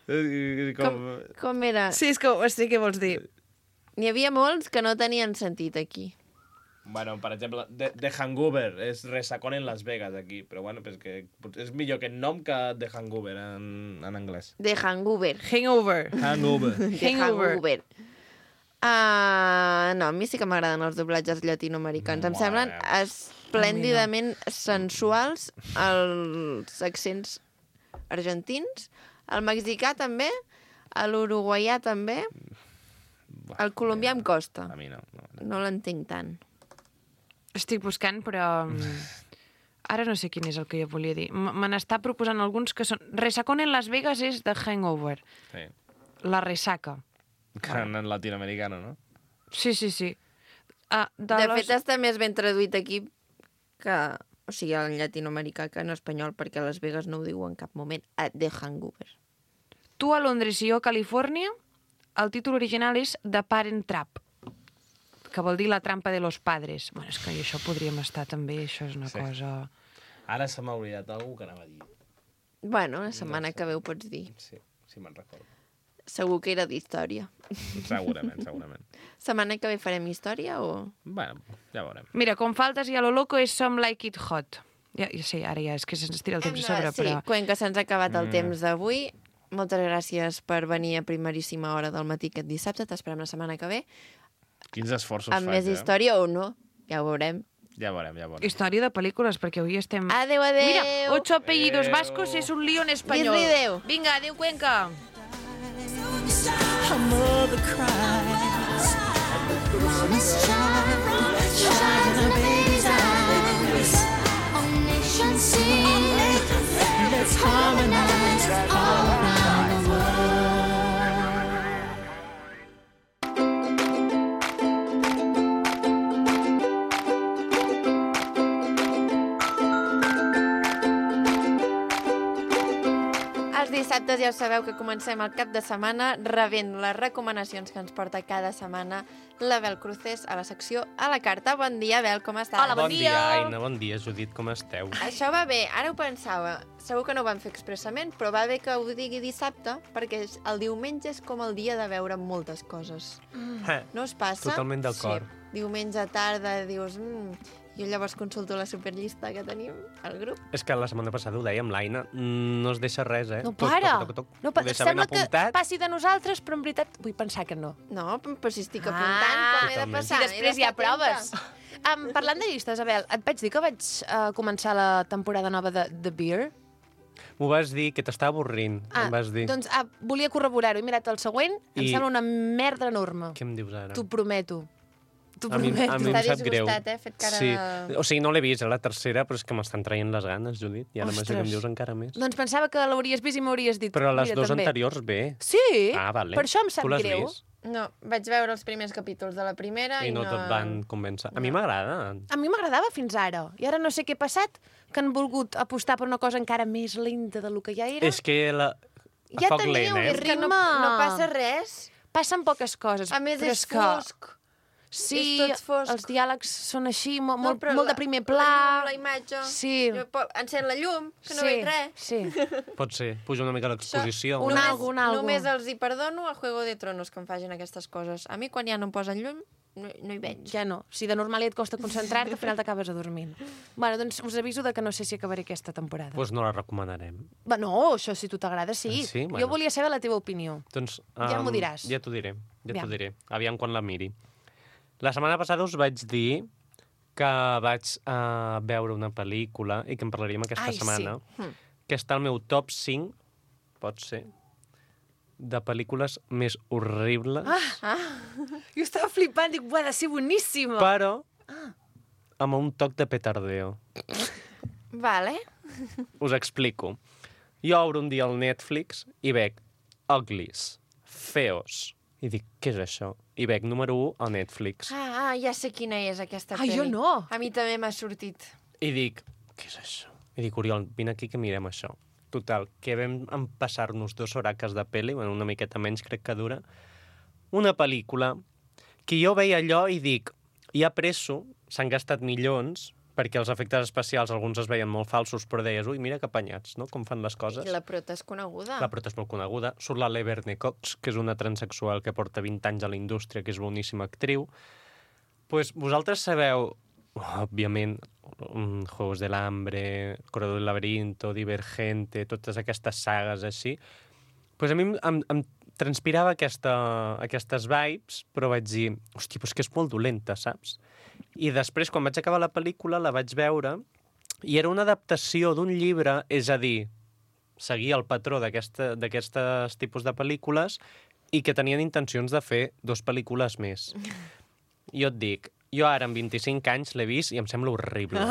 veritat. Com, Com... com era? Sí, és que ho sé què vols dir. N'hi havia molts que no tenien sentit aquí. Bueno, per exemple, The, The Hangover és Resacón en Las Vegas aquí, però bueno, és que és millor que el nom que The Hangover en, en anglès. De Hangover. Hangover. Hangover. De Hangover. Hangover. Uh, no, a mi sí que m'agraden els doblatges llatinoamericans. Em Mare semblen meva. esplèndidament sensuals els accents argentins, el mexicà també, l'uruguaià també, el colombià em costa. A mi no. no. No l'entenc tant. Estic buscant, però... mm, Ara no sé quin és el que jo volia dir. M- Me n'està proposant alguns que són... Resacón en Las Vegas és The Hangover. Sí. La ressaca. Que en, en latinoamericano, no? Sí, sí, sí. Ah, de De les... fet, està més ben traduït aquí que... O sigui, en llatinoamericà que en espanyol, perquè a Las Vegas no ho diu en cap moment. A The Hangover. Tu a Londres i jo a Califòrnia, el títol original és The Parent Trap, que vol dir la trampa de los padres. Bueno, és que això podríem estar també, això és una Sí. cosa... Ara se m'ha oblidat algú que anava a dir. Bueno, la setmana que ve ho pots dir. Sí, sí me'n recordo. Segur que era d'història. Segurament, segurament. Setmana que ve farem història o...? Bueno, ja veurem. Mira, com faltes i a lo loco és Some Like It Hot. Ja, ja sé, ara ja és que se'ns tira el temps a sobre, sí, però... Cuenca, se'ns ha acabat el Mm. temps d'avui. Moltes gràcies per venir a primeríssima hora del matí aquest dissabte. T'esperem la setmana que ve. Quins esforços Amb faig, més eh? història o no, ja ho veurem. Ja veurem, ja veurem. Història de pel·lícules, perquè avui estem... Adéu, adéu! Mira, ocho apellidos Adéu. vascos es un lío en español. Dis-li adéu. Vinga, adéu, Cuenca. Her mother cries. Promised child, shine in her baby's eyes. All nations sing. Let's harmonize all around the world. dissabtes ja sabeu que comencem el cap de setmana rebent les recomanacions que ens porta cada setmana la Bel Cruces a la secció A la Carta. Bon dia, Bel, com estàs? Hola, bon Bon dia, dia. Aina, bon dia, Judit, com esteu? Això va bé, ara ho pensava. Segur que no ho vam fer expressament, però va bé que ho digui dissabte, perquè és- el diumenge és com el dia de veure moltes coses. Eh, No us passa? Totalment d'acord. Sí. Diumenge a tarda dius... Mm, jo llavors consulto la superllista que tenim al grup. És que la setmana passada ho dèiem, l'Aina no es deixa res, eh? No Toc, para. Toc, toc, toc, No, Ho pa deixa ben sembla que apuntat. passi de nosaltres, però en veritat vull pensar que no. No, però si estic Ah, apuntant, com he de totalment. passar? I He després hi ha d'estar atenta. proves. Um, parlant de llistes, Abel, et vaig dir que vaig uh, començar la temporada nova de The Beer? M'ho vas dir, que t'estava avorrint, em vas dir. doncs ah, volia corroborar-ho. He mirat el següent, I... em I- sembla una merda enorme. Què em dius ara? T'ho prometo. T'ho A mi, prometo. a mi em Està sap greu. disgustat, eh? Fet cara sí. de- O sigui, no l'he vist, eh, la tercera, però és que m'estan traient les ganes, Judit. I ara amb això que em Ostres. dius encara més. Doncs pensava que l'hauries vist i m'hauries dit. Però les mira, dues també. anteriors, bé. Sí? Ah, vale. Per això em sap Tu l'has greu. vist? No, vaig veure els primers capítols de la primera i, I no te't van convèncer. A mi m'agrada. A mi m'agradava fins ara. I ara no sé què ha passat, que han volgut apostar per una cosa encara més lenta del que ja era. És que la... Ja foc teniu, lent, eh? És que no, ritme. no passa res. Passen poques coses. A més, però és que... fosc. Sí, és tot fosc. els diàlegs són així, molt, molt, però molt la- de primer La, pla. llum, la imatge... Sí. Jo po- Encén la llum, que no sí, veig res. Sí. Pot ser. Puja una mica l'exposició. Un no? algo, un algo. Només els hi perdono a Juego de Tronos que em facin aquestes coses. A mi, quan ja no em posen llum, no, no hi veig. Ja no. Si de normal ja et costa concentrar-te, al final t'acabes adormint. Bueno, doncs us aviso de que no sé si acabaré aquesta temporada. Doncs no la recomanarem. Va, no, això si tu t'agrada, sí. Ah, sí? Bueno. Jo volia saber la teva opinió. Doncs, Ja m'ho diràs. Ja t'ho diré, ja Aviam. t'ho diré. Aviam quan la miri. La setmana passada us vaig dir que vaig uh, veure una pel·lícula i que en parlaríem aquesta Ai, sí. setmana, que està al meu top cinc, pot ser, de pel·lícules més horribles, Ah. Jo estava flipant, dic, ha de ser boníssima. però amb un toc de petardeo. Vale. Us explico. Jo obro un dia al Netflix i veig Uglies, Feos, i dic, què és això? I veig número u al Netflix. Ah, ah, ja sé quina és aquesta Ah, pel·li. jo no. A mi també m'ha sortit. I dic, què és això? I dic, Oriol, vine aquí que mirem això. Total, que vam empassar-nos dos horaques de pel·li, bueno, una miqueta menys crec que dura, una pel·lícula que jo veia allò i dic, ja presso, s'han gastat milions, perquè els efectes especials alguns es veien molt falsos, però deies, ui, mira que apanyats, no?, com fan les coses. I la prota és coneguda. La prota és molt coneguda. Surt la Laverne Cox, que és una transexual que porta vint anys a la indústria, que és boníssima actriu. Pues vosaltres sabeu, òbviament, um, Juegos del Hambre, Corredor del Laberinto, Divergente, totes aquestes sagues així. Pues a mi em, em, em transpirava aquesta, aquestes vibes, però vaig dir, hòstia, pues que és molt dolenta, saps? I després, quan vaig acabar la pel·lícula, la vaig veure i era una adaptació d'un llibre, és a dir, seguia el patró d'aquestes tipus de pel·lícules i que tenien intencions de fer dos pel·lícules més. Jo et dic, jo ara amb vint-i-cinc anys l'he vist i em sembla horrible.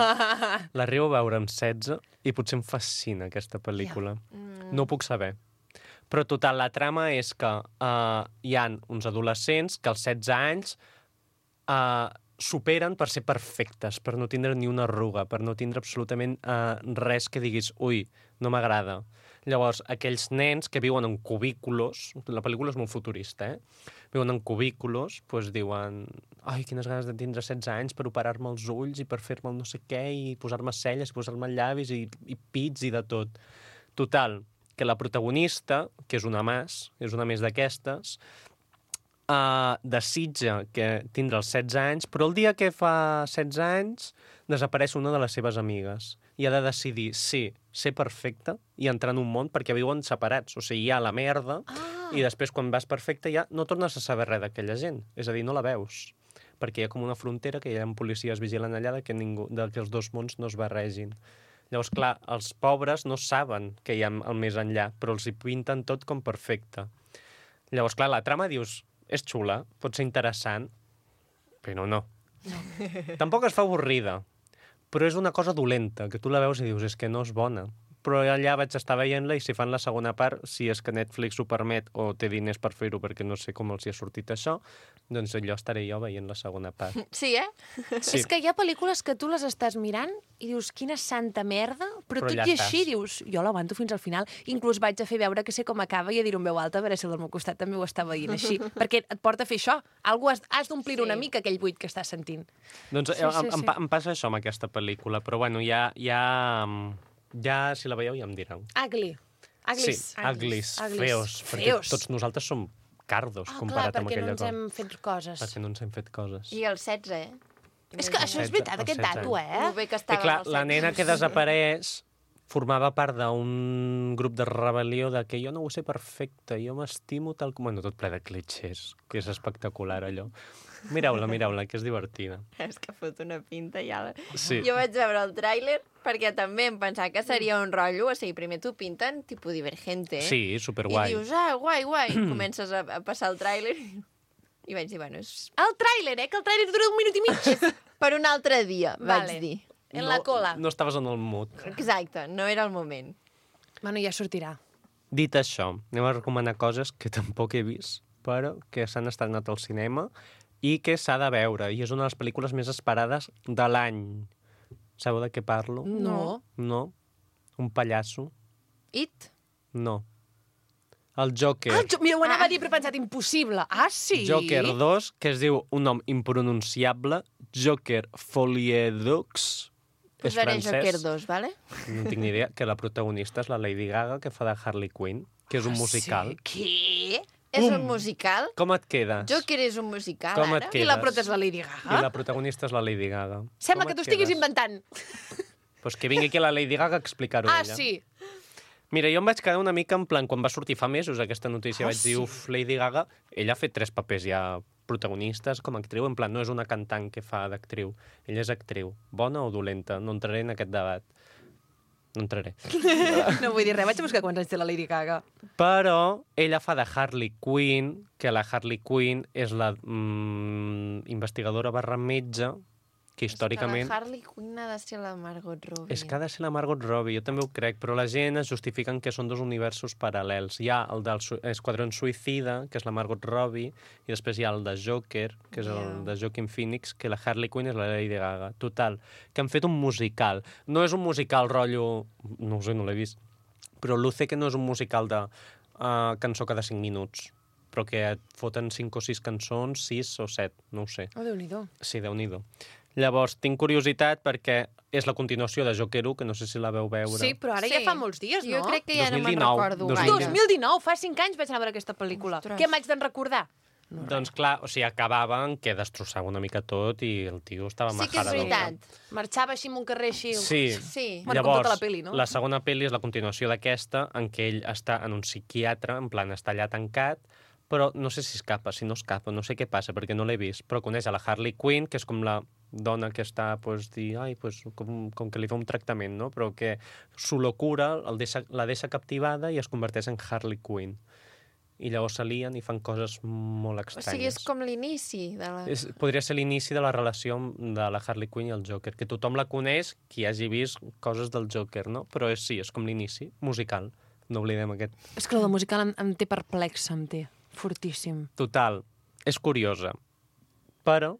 L'arribo a veure amb setze i potser em fascina aquesta pel·lícula. No ho puc saber. Però total, la trama és que uh, hi han uns adolescents que als setze anys uh, superen per ser perfectes, per no tindre ni una arruga, per no tindre absolutament uh, res que diguis, ui, no m'agrada. Llavors, aquells nens que viuen en cubículos, la pel·lícula és molt futurista, eh? Viuen en cubículos, doncs diuen, ai, quines ganes de tindre setze anys per operar-me els ulls i per fer-me el no sé què i posar-me celles, i posar-me llavis i, i pits i de tot. Total, que la protagonista, que és una mas, és una més d'aquestes, uh, desitja que tindrà els setze anys, però el dia que fa setze anys desapareix una de les seves amigues i ha de decidir si ser perfecta i entrar en un món perquè viuen separats. O sigui, hi ha la merda ah. i després quan vas perfecta ja no tornes a saber res d'aquella gent. És a dir, no la veus. Perquè hi ha com una frontera que hi ha policies vigilant allà de que, ningú, de que els dos mons no es barregin. Llavors, clar, els pobres no saben que hi ha el més enllà, però els hi pinten tot com perfecte. Llavors, clar, la trama dius, és xula, pot ser interessant, però no. no. Tampoc es fa avorrida, però és una cosa dolenta, que tu la veus i dius, és que no és bona. però allà vaig estar veient-la i si fan la segona part, si és que Netflix ho permet o té diners per fer-ho perquè no sé com els hi ha sortit això, doncs allò estaré jo veient la segona part. Sí, eh? Sí. És que hi ha pel·lícules que tu les estàs mirant i dius, quina santa merda, però, Però tot ja i així estàs. dius, jo l'aguanto fins al final. Inclús vaig a fer veure que sé com acaba i a dir-ho en veu alta, a veure si el del meu costat també ho està veient així. Perquè et porta a fer això. Algú has, has d'omplir Sí. una mica aquell buit que estàs sentint. Doncs Sí, sí, sí, em, em, sí. pa- em passa això amb aquesta pel·lícula, però bueno, ja, ja, ja si la veieu ja em direu. Ugly. Uglis. Sí, uglis, Uglis. feos, perquè Feos. tots nosaltres som cardos Ah, clar, comparat amb perquè no aquella ens cosa. hem fet coses. Perquè no ens hem fet coses. I el setze, eh? És que això és setze, veritat, els aquest setze dato, anys. eh? Lo bé que I estava clar, amb el la setze. nena que desapareix formava part d'un grup de rebel·lió de que jo no ho sé perfecte, jo m'estimo tal com... Bueno, tot ple de clitxers, que és espectacular allò. Mireu-la, mireu-la, que és divertida. És que fot una pinta ja. La... Sí. Jo vaig veure el tràiler perquè també em pensava que seria un rotllo, o sigui, primer t'ho pinten tipus divergente, eh? Sí, superguai. I dius, ah, guai, guai. I comences a, a passar el tràiler i vaig dir, bueno, és El tràiler, eh? Que el tràiler dura un minut i mig. per un altre dia, Vale. vaig dir. En la cola. No estaves en el mood. Exacte, no era el moment. Bueno, ja sortirà. Dit això, anem a recomanar coses que tampoc he vist, però que s'han estrenat al cinema i que s'ha de veure. I és una de les pel·lícules més esperades de l'any. Sabeu de què parlo? No. No. Un pallasso? It? No. El Joker. Ah, jo, mira, ho anava a dir, però he pensat impossible. Ah, sí? Joker dos, que es diu un nom impronunciable, Joker Foliedux. És Posaré francès. Joker dos, vale? No tinc ni idea, que la protagonista és la Lady Gaga, que fa de Harley Quinn, que és un musical. Ah, Sí? Què? És un musical? Com et quedes? Joker és un musical, Com ara? et I la quedes? prota és la Lady I Gaga? la protagonista és la Lady Gaga. Sembla Com que et t'ho estiguis quedes? inventant. Pues que vingui aquí la Lady Gaga a explicar-ho Ah, ella. sí. Mira, jo em vaig quedar una mica en plan, quan va sortir fa mesos aquesta notícia, Ah, vaig dir, sí? uf, Lady Gaga, ella ha fet tres papers ja protagonistes com a actriu, en plan, no és una cantant que fa d'actriu, ella és actriu, bona o dolenta, no entraré en aquest debat. No entraré. No vull dir res, vaig a buscar quants anys té la Lady Gaga. Però ella fa de Harley Quinn, que la Harley Quinn és la mm, investigadora barra metge, que històricament... És que la Harley Quinn ha de ser la Margot Robbie. És que ha de ser la Margot Robbie, jo també ho crec, però la gent es justifiquen que són dos universos paral·lels. Hi ha el del Su Esquadrón Suïcida, que és la Margot Robbie, i després hi ha el de Joker, que és el Yeah. de Joaquin Phoenix, que la Harley Quinn és la Lady Gaga. Total, que han fet un musical. No és un musical rotllo... No ho sé, no l'he vist. Però Luce que no és un musical de uh, cançó cada cinc minuts, però que et foten cinc o sis cançons, sis o set, no ho sé. Oh, Déu-n'hi-do. Sí, Déu-n'hi-do. Llavors, tinc curiositat perquè és la continuació de Joker u, que no sé si la veu veure. Sí, però ara ja fa molts dies, no? Jo crec que ja dos mil no me'n dinou, recordo dos mil gaire. dinou. dos mil dinou, fa cinc anys vaig anar a veure aquesta pel·lícula. Ostres. Què m'haig d'en recordar? No, doncs clar, o sigui, acabaven que destrossava una mica tot i el tio estava Sí que és majarador. veritat. Marxava així en un carrer així. Sí. Sí. Bueno, com Llavors, tota la peli, no? la segona pel·li és la continuació d'aquesta, en què ell està en un psiquiatre, en plan, està allà tancat, però no sé si escapa, si no escapa, no sé què passa, perquè no l'he vist, però coneix a la Harley Quinn, que és com la dona que està, pues, dir, ai, pues, com, com que li fa un tractament, no? Però que su locura el deixa, la deixa captivada i es converteix en Harley Quinn. I llavors s'alien i fan coses molt O estranyes. sigui, és com l'inici de la... És, podria ser l'inici de la relació de la Harley Quinn i el Joker, que tothom la coneix, qui hagi vist coses del Joker, no? Però és, sí, és com l'inici, musical. No oblidem aquest. És que la de musical em, em té perplexa, em té. Fortíssim. Total, és curiosa. Però,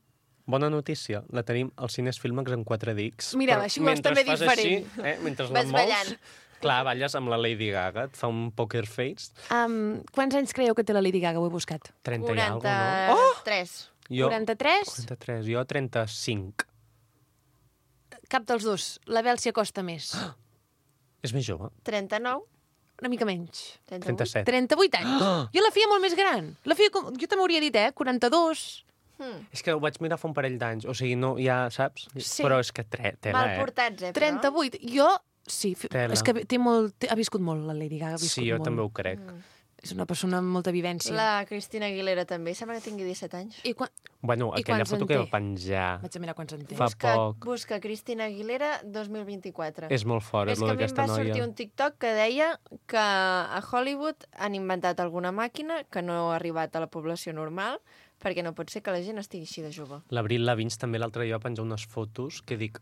bona notícia, la tenim al Cines Filmex en quatre dics. Mira, Però així ho vols mentre també fas diferent. Així, eh, mentre Vas la mous, ballant. clar, balles amb la Lady Gaga, et fa un poker face. Um, quants anys creieu que té la Lady Gaga? Ho he buscat. trenta i alguna cosa, no? quaranta-tres. Jo, quaranta-tres? quaranta-tres, jo trenta-cinc. Cap dels dos. La Bel s'hi acosta més. És més jove. trenta-nou. Una mica menys. trenta-vuit. trenta-set. trenta-vuit anys. Jo la feia molt més gran. La feia com... Jo també hauria dit, eh? quaranta-dos. Hmm. És que ho vaig mirar fa un parell d'anys, o sigui, no, ja saps? Sí. Però és que tre, tela, Mal eh? portats, eh, però. trenta-vuit. Jo, sí, fi- Tela. és que té molt, té, ha viscut molt, la Lady Gaga ha viscut Sí, jo molt. també ho crec. És una persona amb molta vivència. La Cristina Aguilera també, sembla que tingui disset anys. I quan... Bueno, I aquella quants foto en que té? va penjar Vaig a mirar quants en té. Fa Busca, poc. busca Cristina Aguilera dos mil vint-i-quatre. és molt fort, És és que lo a mi em d'aquesta va sortir noia. un TikTok que deia que a Hollywood han inventat alguna màquina que no ha arribat a la població normal perquè no pot ser que la gent estigui així de jove. L'Abril Lavigne també l'altre dia va penjar unes fotos que dic,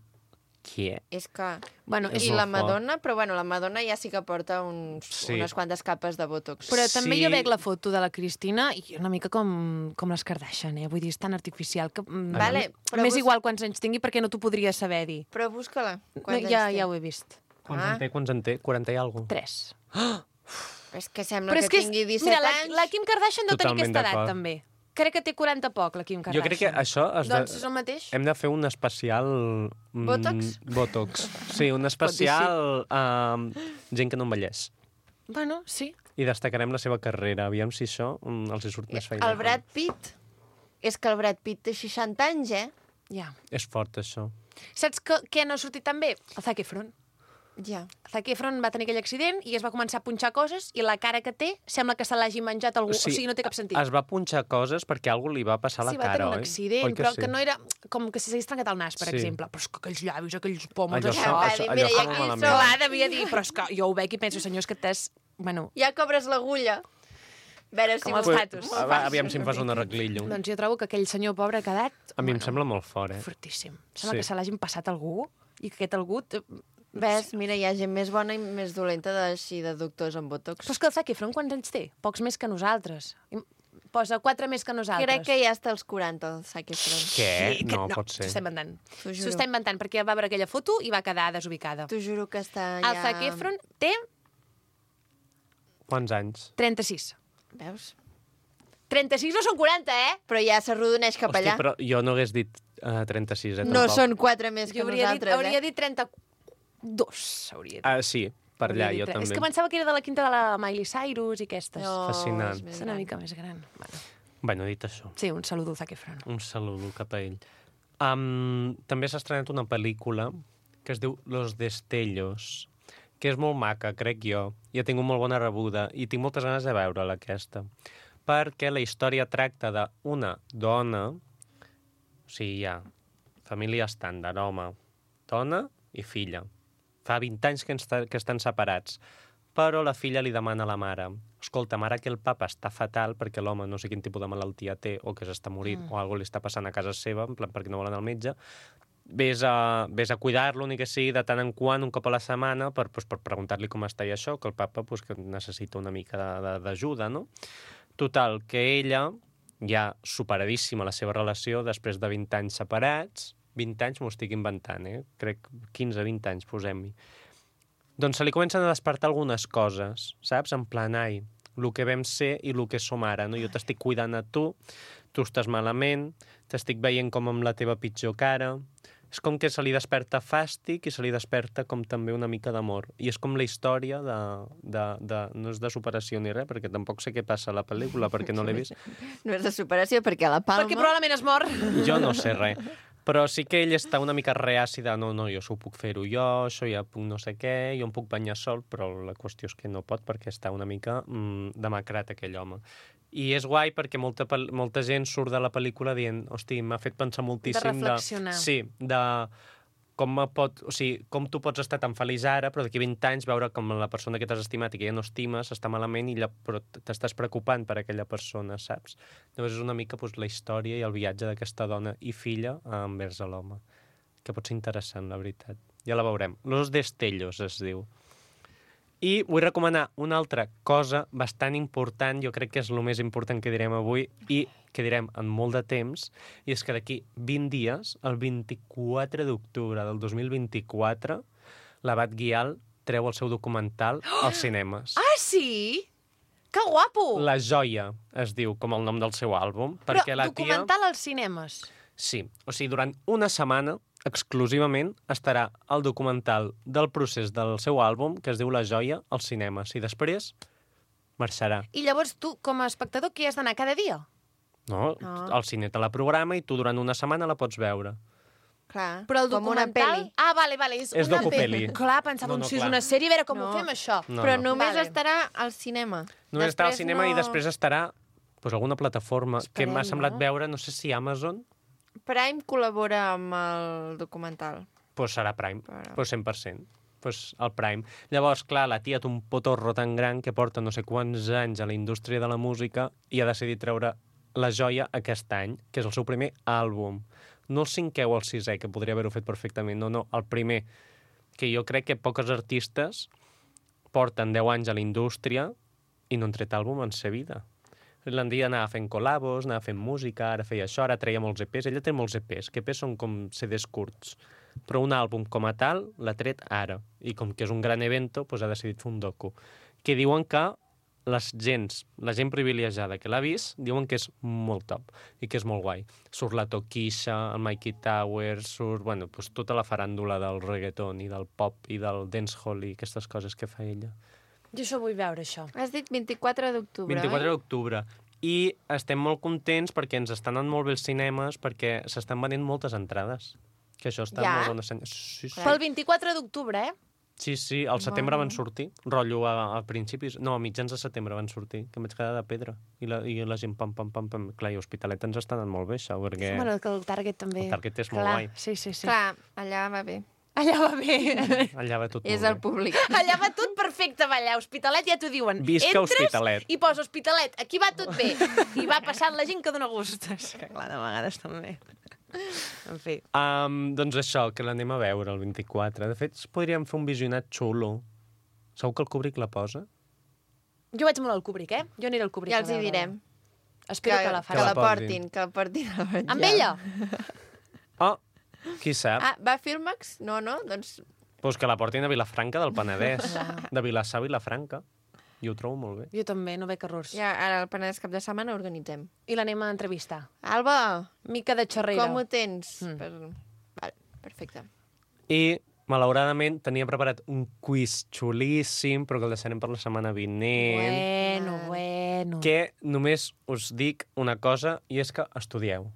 Què? És que... Bueno, És I molt la fort. Madonna, però bueno, la Madonna ja sí que porta uns, Sí. unes quantes capes de botox. Però també Sí. jo veig la foto de la Cristina i una mica com, com les Kardashian, eh? Vull dir, és tan artificial que... mm, Vale, però M'és vos- igual quants anys tingui perquè no t'ho podria saber dir. Però busca-la. No, Quants ja, anys té? ja ho he vist. Quants Ah. en té? Quants en té? quaranta i alguna cosa? Tres. És que sembla Però és que que, és- tingui disset mira, la, anys. la Kim Kardashian deu tenir Totalment aquesta edat, d'acord. també. Crec que té quaranta poc, la Kim Jo Kardashian. crec que això... Es de... Doncs és el mateix? Hem de fer un especial... mm, Botox? Botox. Sí, un especial... Uh, gent que no envelleix. Bueno, sí. I destacarem la seva carrera. Aviam si això mm, els hi surt més feina. El Brad Pitt. És que el Brad Pitt té seixanta anys, eh? Ja. És fort, això. Saps que, què no ha sortit tan bé? El Zac Efron. Ja. Zac Efron va tenir aquell accident i es va començar a punxar coses i la cara que té sembla que se l'hagi menjat algú. O sigui, no té cap sentit. Es va punxar coses perquè algú li va passar a la Sí, va cara, tenir un oi? accident, Oi però sí? que no era... Com que s'hagués trencat el nas, per Sí. exemple. Però és que aquells llavis, aquells pòmuls, Allò, això... això, va això, dir, allò mira, i fa aquí molt malament. som. Clar, devia dir, però és que jo ho veig i penso, senyor, és que t'has... Bueno, Ja cobres l'agulla. A veure si... Com els m'ho- tatus. Ah, va, aviam si em fas un arreglillo. doncs jo trobo que aquell senyor pobre ha quedat... A mi em sembla molt fort, eh? Fortíssim. Sembla Sí. que se l'hagin passat a algú i que aquest algú... t- Ves, mira, hi ha gent més bona i més dolenta de, així, de doctors amb botox. Però és que el Zac Efron quants anys té? Pocs més que nosaltres. I posa quatre més que nosaltres. Crec que ja està als quaranta, el Zac Efron. Què? Sí, que- No, pot ser. S'ho està inventant. T'ho juro. S'ho està inventant, perquè va veure aquella foto i va quedar desubicada. T'ho juro que està El ja... Zac Efron té Quants anys? trenta-sis. Veus? trenta-sis no són quaranta, eh? Però ja s'arrodoneix cap Hosti, allà. però jo no hagués dit uh, trenta-sis, eh? No tampoc. són quatre més que Jo hauria dit, nosaltres, hauria eh? dit trenta-dos, hauria dit. Ah, sí, per allà, Hauria jo dit. també. És que pensava que era de la quinta de la Miley Cyrus i aquestes. No, Fascinant. és més És una gran. mica més gran. Bueno, Bueno, dit això, sí, un saludo al Zac Efron. un saludo cap a ell. Um, també s'ha estrenat una pel·lícula que es diu Los Destellos, que és molt maca, crec jo, i ha tingut molt bona rebuda, i tinc moltes ganes de veure-la, aquesta, perquè la història tracta d'una dona, o sigui, ja, família estàndard, home, dona i filla. Fa vint anys que, està, que estan separats, però la filla li demana a la mare: escolta, mare, que el papa està fatal perquè l'home no sé quin tipus de malaltia té o que s'està morint mm. o alguna li està passant a casa seva, en plan perquè no vol anar al metge, vés a, vés a cuidar-lo, ni que sigui de tant en quant, un cop a la setmana, per, pues, per preguntar-li com està i això, que el papa pues, que necessita una mica de- de- d'ajuda, no? Total, que ella, ja superadíssima la seva relació, després de vint anys separats, vint anys m'ho estic inventant, eh? Crec quinze vint anys, posem-hi. Doncs se li comencen a despertar algunes coses, saps? En plan, ai, el que vam ser i el que som ara, no? Jo t'estic cuidant a tu, tu estàs malament, t'estic veient com amb la teva pitjor cara. És com que se li desperta fàstic i se li desperta com també una mica d'amor. I és com la història de, de, de... No és de superació ni res, perquè tampoc sé què passa a la pel·lícula, perquè no l'he vist. No és de superació, perquè a la Palma... Perquè probablement es mor. Jo no sé res. Però sí que ell està una mica reaci de no, no, jo això ho puc fer-ho jo, això ja puc no sé què, jo em puc banyar sol, però la qüestió és que no pot perquè està una mica mm, demacrat aquell home. I és guai perquè molta, pel- molta gent surt de la pel·lícula dient, hosti, m'ha fet pensar moltíssim reflexionar. de... Sí, de com, me pot, o sigui, com tu pots estar tan feliç ara, però d'aquí vint anys veure com la persona que t'has estimat i que ja no estimes està malament i lla, però t'estàs preocupant per aquella persona, saps? Llavors és una mica doncs, la història i el viatge d'aquesta dona i filla envers a l'home, que pot ser interessant, la veritat. Ja la veurem. Los Destellos es diu. I vull recomanar una altra cosa bastant important, jo crec que és el més important que direm avui i que direm en molt de temps, i és que d'aquí vint dies, el vint-i-quatre d'octubre del dos mil vint-i-quatre, l'Abat Guial treu el seu documental als cinemes. Ah, sí? Que guapo! La Joia es diu com el nom del seu àlbum, Però perquè la tia... documental als cinemes. Sí, o sigui, durant una setmana, exclusivament, estarà el documental del procés del seu àlbum, que es diu La Joia, als cinemes. I després marxarà. I llavors tu, com a espectador, què has d'anar cada dia? No, No. el cine te la programa i tu durant una setmana la pots veure. Clar, Però el com una documental... pel·li. Ah, vale, vale, és, És una docupeli. pel·li. Clar, pensava, No, no, no, si és clar. una sèrie, a veure com No. ho fem, això. No, Però no. només Vale. estarà al cinema. Només estarà al Després cinema no- i després estarà pues, alguna plataforma Esperem, que m'ha semblat no? veure, no sé si Amazon, Prime col·labora amb el documental. pues serà Prime, Però- pues cent per cent. Pues el Prime. Llavors, clar, la tia té un potorro tan gran que porta no sé quants anys a la indústria de la música i ha decidit treure La Joia aquest any, que és el seu primer àlbum. no el cinquè o el sisè, que podria haver-ho fet perfectament, no, no, el primer, que jo crec que poques artistes porten deu anys a la indústria i no han tret àlbum en sa vida. L'Andia anava fent col·labos, anava fent música, ara feia això, ara treia molts E Pes. Ella té molts E Pes, que E Pes són com C Ds curts. Però un àlbum com a tal l'ha tret ara. I com que és un gran evento, doncs ha decidit fer un docu. Que diuen que les gens, la gent privilegiada que l'ha vist, diuen que és molt top i que és molt guai. Surt la Toquisha, el Mikey Towers, surt, bueno, doncs tota la faràndula del reggaeton i del pop i del dancehall i aquestes coses que fa ella. Jo això vull veure, això. Has dit vint-i-quatre d'octubre, vint-i-quatre oi? d'octubre. I estem molt contents perquè ens estan anant molt bé els cinemes, perquè s'estan venent moltes entrades. Que això està Ja? molt bon assenyat. Sí, sí. Pel vint-i-quatre d'octubre, eh? Sí, sí, al setembre van sortir. Rotllo a, a principis... No, a mitjans de setembre van sortir, que em vaig quedar de pedra. I la, i la gent pam, pam, pam, pam. Clar, i Hospitalet ens està anant molt bé, això, perquè Bueno, que el Target també... el Target és molt Clar, guai. Sí, sí, sí. Clar, allà va bé. Allà va bé. Allà va tot És molt el bé. públic. Allà va tot perfecte, va allà. Hospitalet ja t'ho diuen. Visca Entres Hospitalet. i posa Hospitalet. Aquí va tot bé. I va passant la gent que dona gust. És que clar, de vegades també. En fi. Um, doncs això, que l'anem a veure el vint-i-quatre. De fet, podríem fer un visionat xulo. Segur que el Kubrick la posa? Jo vaig molt al Kubrick, eh? Jo aniré al Kubrick. Ja a els hi veure-la. direm. Espero que, que, la que faci. la la portin, que la portin a menjar. Amb ella? Oh, qui sap? Ah, va a Filmax? No, no, doncs... Pues que la portin a Vilafranca del Penedès. De Vilassar a Vilafranca. I ho trobo molt bé. Jo també, no veig errors. Ja, ara el Penedès cap de setmana organitzem. I l'anem a entrevistar. Alba, Mica de xerrera. com ho tens? Mm. Per... Vale, perfecte. I, malauradament, tenia preparat un quiz xulíssim, però que el deixarem per la setmana vinent. Bueno, bueno. Que només us dic una cosa, i és que estudieu.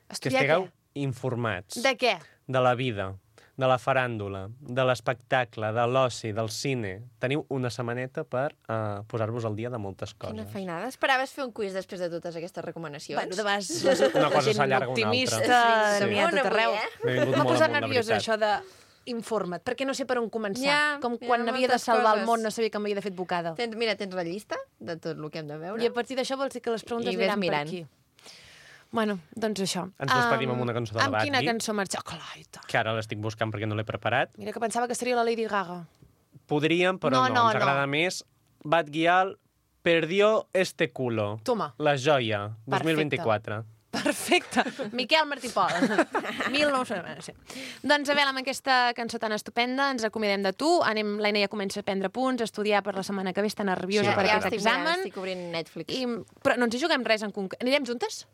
Que Estudiar estigueu què? informats De què? de la vida, de la faràndula, de l'espectacle, de l'oci, del cine. Teniu una setmaneta per uh, posar-vos al dia de moltes coses. Quina feinada. Esperaves fer un quiz després de totes aquestes recomanacions? Bueno, de vegades Una cosa gent s'allarga una optimista altra. n'hi ha a Sí. tot arreu. Una avui, eh? M'he vingut M'ha molt posat amunt, de nerviosa, veritat. això de informa't, perquè no sé per on començar. Ja, Com hi ha quan havia de moltes salvar coses. el món, no sabia que m'havia de fer advocada. Tens, mira, tens la llista de tot el que hem de veure? I a partir d'això vols dir que les preguntes I ves aniran per mirant. aquí. Bueno, doncs això. Ens despedim Am, amb una cançó de la Amb quina Batgirl. cançó marxar? Oh, clar, i tant. Que ara l'estic buscant perquè no l'he preparat. Mira que pensava que seria la Lady Gaga. Podríem, però No, no, no, ens agrada més. Bad Gyal perdió este culo. Toma. La joia, dos mil Perfecte. vint-i-quatre. Perfecte. Miquel Martí Pol. mil nou-cents. Sí. Doncs, Abel, amb aquesta cançó tan estupenda ens acomiadem de tu. Anem, l'Aina ja comença a prendre punts, a estudiar per la setmana que ve, està nerviosa Sí, per ja aquest estic mirant, examen. estic obrint Netflix. I, però no ens hi juguem res en concret. Anirem juntes?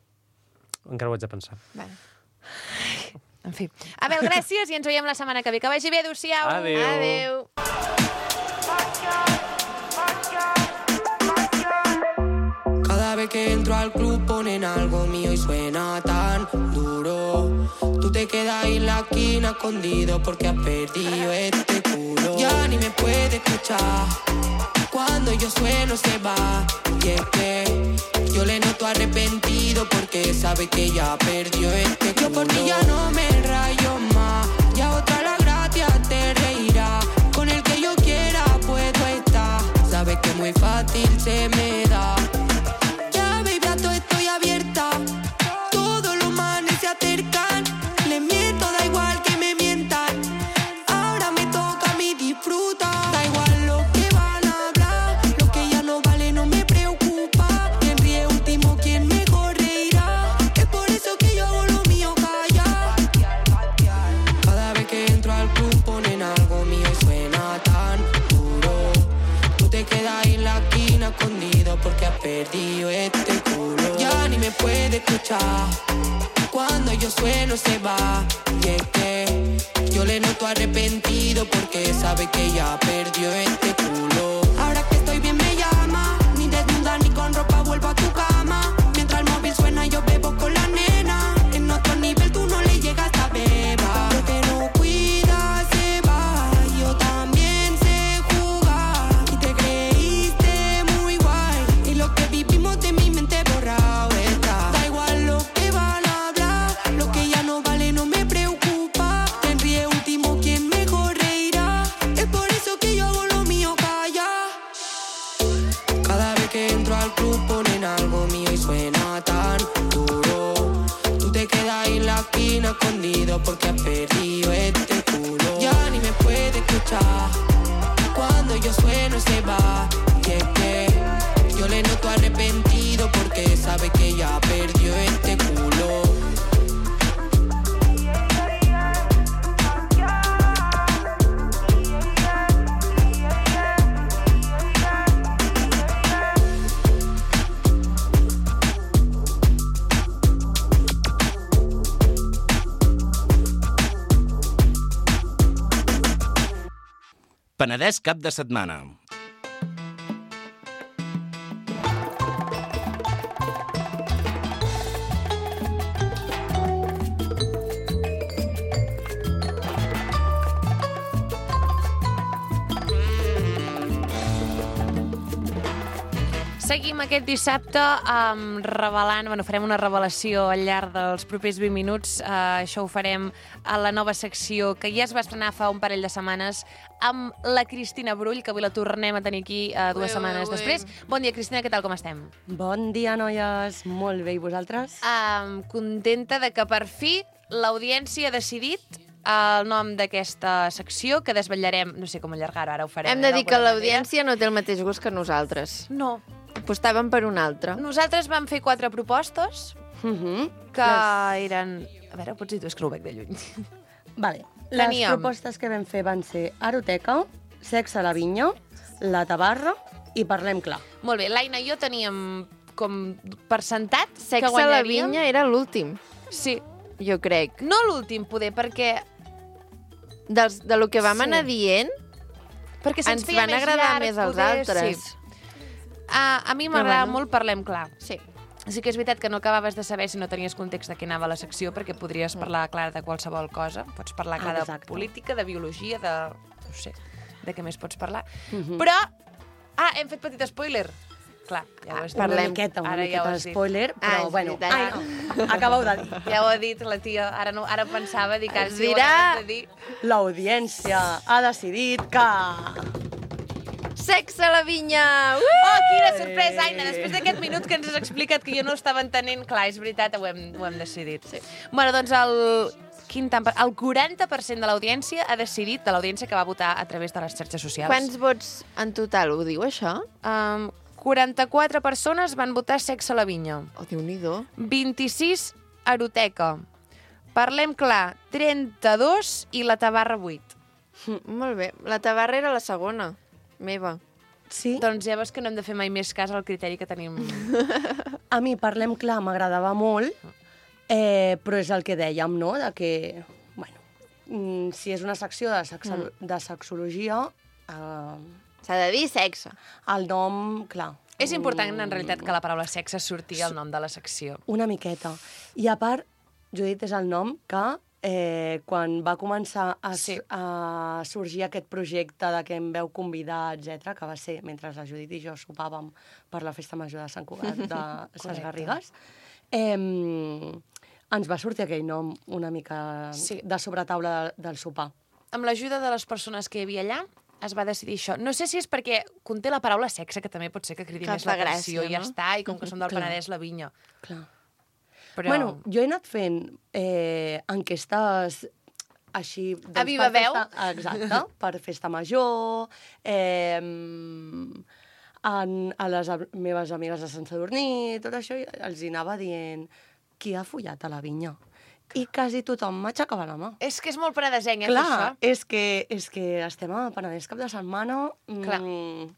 Encara ho haig de pensar. Vale. En fi. Abel, gràcies i ens veiem la setmana que ve. Que vagi bé, adéu-siau. Adéu. Adéu. Cada vez que entro al club ponen algo mío y suena tan duro. Tú te quedas en la esquina escondido porque has perdido este culo. Ya ni me puede escuchar. Cuando yo sueno se va. Y es que yo le noto arrepentido porque sabe que ya perdió este culo. Yo por ti ya no me rayo más. Ya otra la gracia te reirá. Con el que yo quiera puedo estar. Sabes que muy fácil se me da. Ya baby a todo estoy abierta. Todos los manes se acercan. Les miento, da igual que me mientan. Ahora me toca a mí disfrutar. Da igual lo que van a hablar. Lo que ya no vale no me preocupa. Quien ríe último, quien mejor reirá. Es por eso que yo hago lo mío callar. Cada vez que entro al club ponen algo mío y suena tan duro. Tú te quedas en la esquina escondido porque has perdido este culo. Ya ni me puede escuchar. Cuando yo sueno se va. Y es que yo le noto arrepentido porque sabe que ya perdió este culo. Ahora que estoy bien me llama. Ni desnuda ni con ropa vuelvo a tu cama. Mientras el móvil suena yo bebo con la nena. En otro nivel tú no le llegas a beba. Lo que no cuida se va. Yo también sé jugar. Y te creíste muy guay. Y lo que vivimos de mi mente borrado está. Da igual lo que van a hablar. Lo que ya no vale no me preocupa. Quien ríe último, quien mejor reirá. Es por eso que yo hago lo mío callar. escondido porque has perdido este culo. Ya ni me puede escuchar, cuando yo sueno se va. Y es que yo le noto arrepentido porque sabe que ya perdió este culo. Penedès cap de setmana. Seguim aquest dissabte um, revelant, bueno, farem una revelació al llarg dels propers vint minuts. Uh, això ho farem a la nova secció que ja es va estrenar fa un parell de setmanes amb la Cristina Brull, que avui la tornem a tenir aquí uh, dues Ué, setmanes ué, ué. després. Bon dia, Cristina, què tal, com estem? Bon dia, noies. Molt bé, i vosaltres? Um, contenta de que per fi l'audiència ha decidit el nom d'aquesta secció, que desvetllarem, no sé com allargar-ho, ara ho farem. Hem de dir que d'alguna l'audiència no té el mateix gust que nosaltres. manera. No. Apostàvem per un altre. Nosaltres vam fer quatre propostes Uh -huh. que eren... A veure, pots dir tu, és que no ho veig de lluny. Vale. Les Teníem- propostes que vam fer van ser Aroteca, Sexe a la vinya, La tabarra i Parlem clar. Molt bé, l'Aina i jo teníem com per sentat que Sexe a la guanyaríem. vinya era l'últim, Sí. jo crec. No l'últim, poder, perquè, Dels, de lo que vam Sí. anar dient, perquè se'ns ens feia van més agradar llarg, més els poder, altres. Sí. A, a mi Però m'agrada bueno. molt Parlem clar. Sí. Sí que és veritat que no acabaves de saber si no tenies context de què anava la secció, perquè Mm. podries parlar, clar, de qualsevol cosa. Pots parlar, clar, de Exacte. política, de biologia, de... no sé, de què més pots parlar. Mhm. Però... Ah, hem fet petit spoiler. Clar, ja ho has dit. Una Parlem. miqueta, una Ara ja miqueta ho de has dit. spoiler, Ah, però és bueno. veritat. Ai, no. Acabeu de dir. Ja ho ha dit la tia. Ara, no, ara pensava, dic, ara Es sí ho dirà- acabes de dir. L'audiència ha decidit que... Sexe a la vinya! Uh! Oh, quina sorpresa, Aina! Després d'aquest minut que ens has explicat que jo no estava entenent, clar, és veritat, ho hem, ho hem decidit. Sí. Bueno, doncs el... Quin tant per... El quaranta per cent de l'audiència ha decidit, de l'audiència que va votar a través de les xarxes socials. Quants vots en total ho diu, això? Um, quaranta-quatre persones van votar Sexe a la vinya. Oh, Déu-n'hi-do. vint-i-sis, Aroteca. Parlem clar, trenta-dos i La tabarra, vuit. Molt bé. La tabarra era la segona, meva. Sí, Doncs ja veus que no hem de fer mai més cas al criteri que tenim. a mi Parlem clar m'agradava molt, eh, però és el que dèiem, no?, de que, bueno, mm, si és una secció de, sexa, de sexologia, eh, S'ha de dir sexe. el nom, clar... És important, en realitat, que la paraula sexe surti al nom de la secció. Una miqueta. I a part, Judit és el nom que eh, quan va començar a, Sí. sí. a sorgir aquest projecte de que em veu convidar, etcètera, que va ser mentre la Judit i jo sopàvem per la festa major de Sant Cugat de Ses Garrigues, eh, ens va sortir aquell nom una mica Sí. de sobretaula de, del sopar. Amb l'ajuda de les persones que hi havia allà, es va decidir això. No sé si és perquè conté la paraula sexe, que també pot ser que cridi Que més fa l'atenció, gràcia, i ja no? està, i com que som del Clar. Penedès, la vinya. Clar. Però... Bueno, jo he anat fent eh, enquestes així... Doncs, A viva per veu? Festa, exacte, per festa major, eh, en, a les am- meves amigues de Sant Sadurní, tot això, i els hi anava dient qui ha follat a la vinya. I quasi tothom m'aixecava la mà. És que és molt penedesenc, eh, Clar, això. és que, és que estem a Penedès cap de setmana, Clar. mm,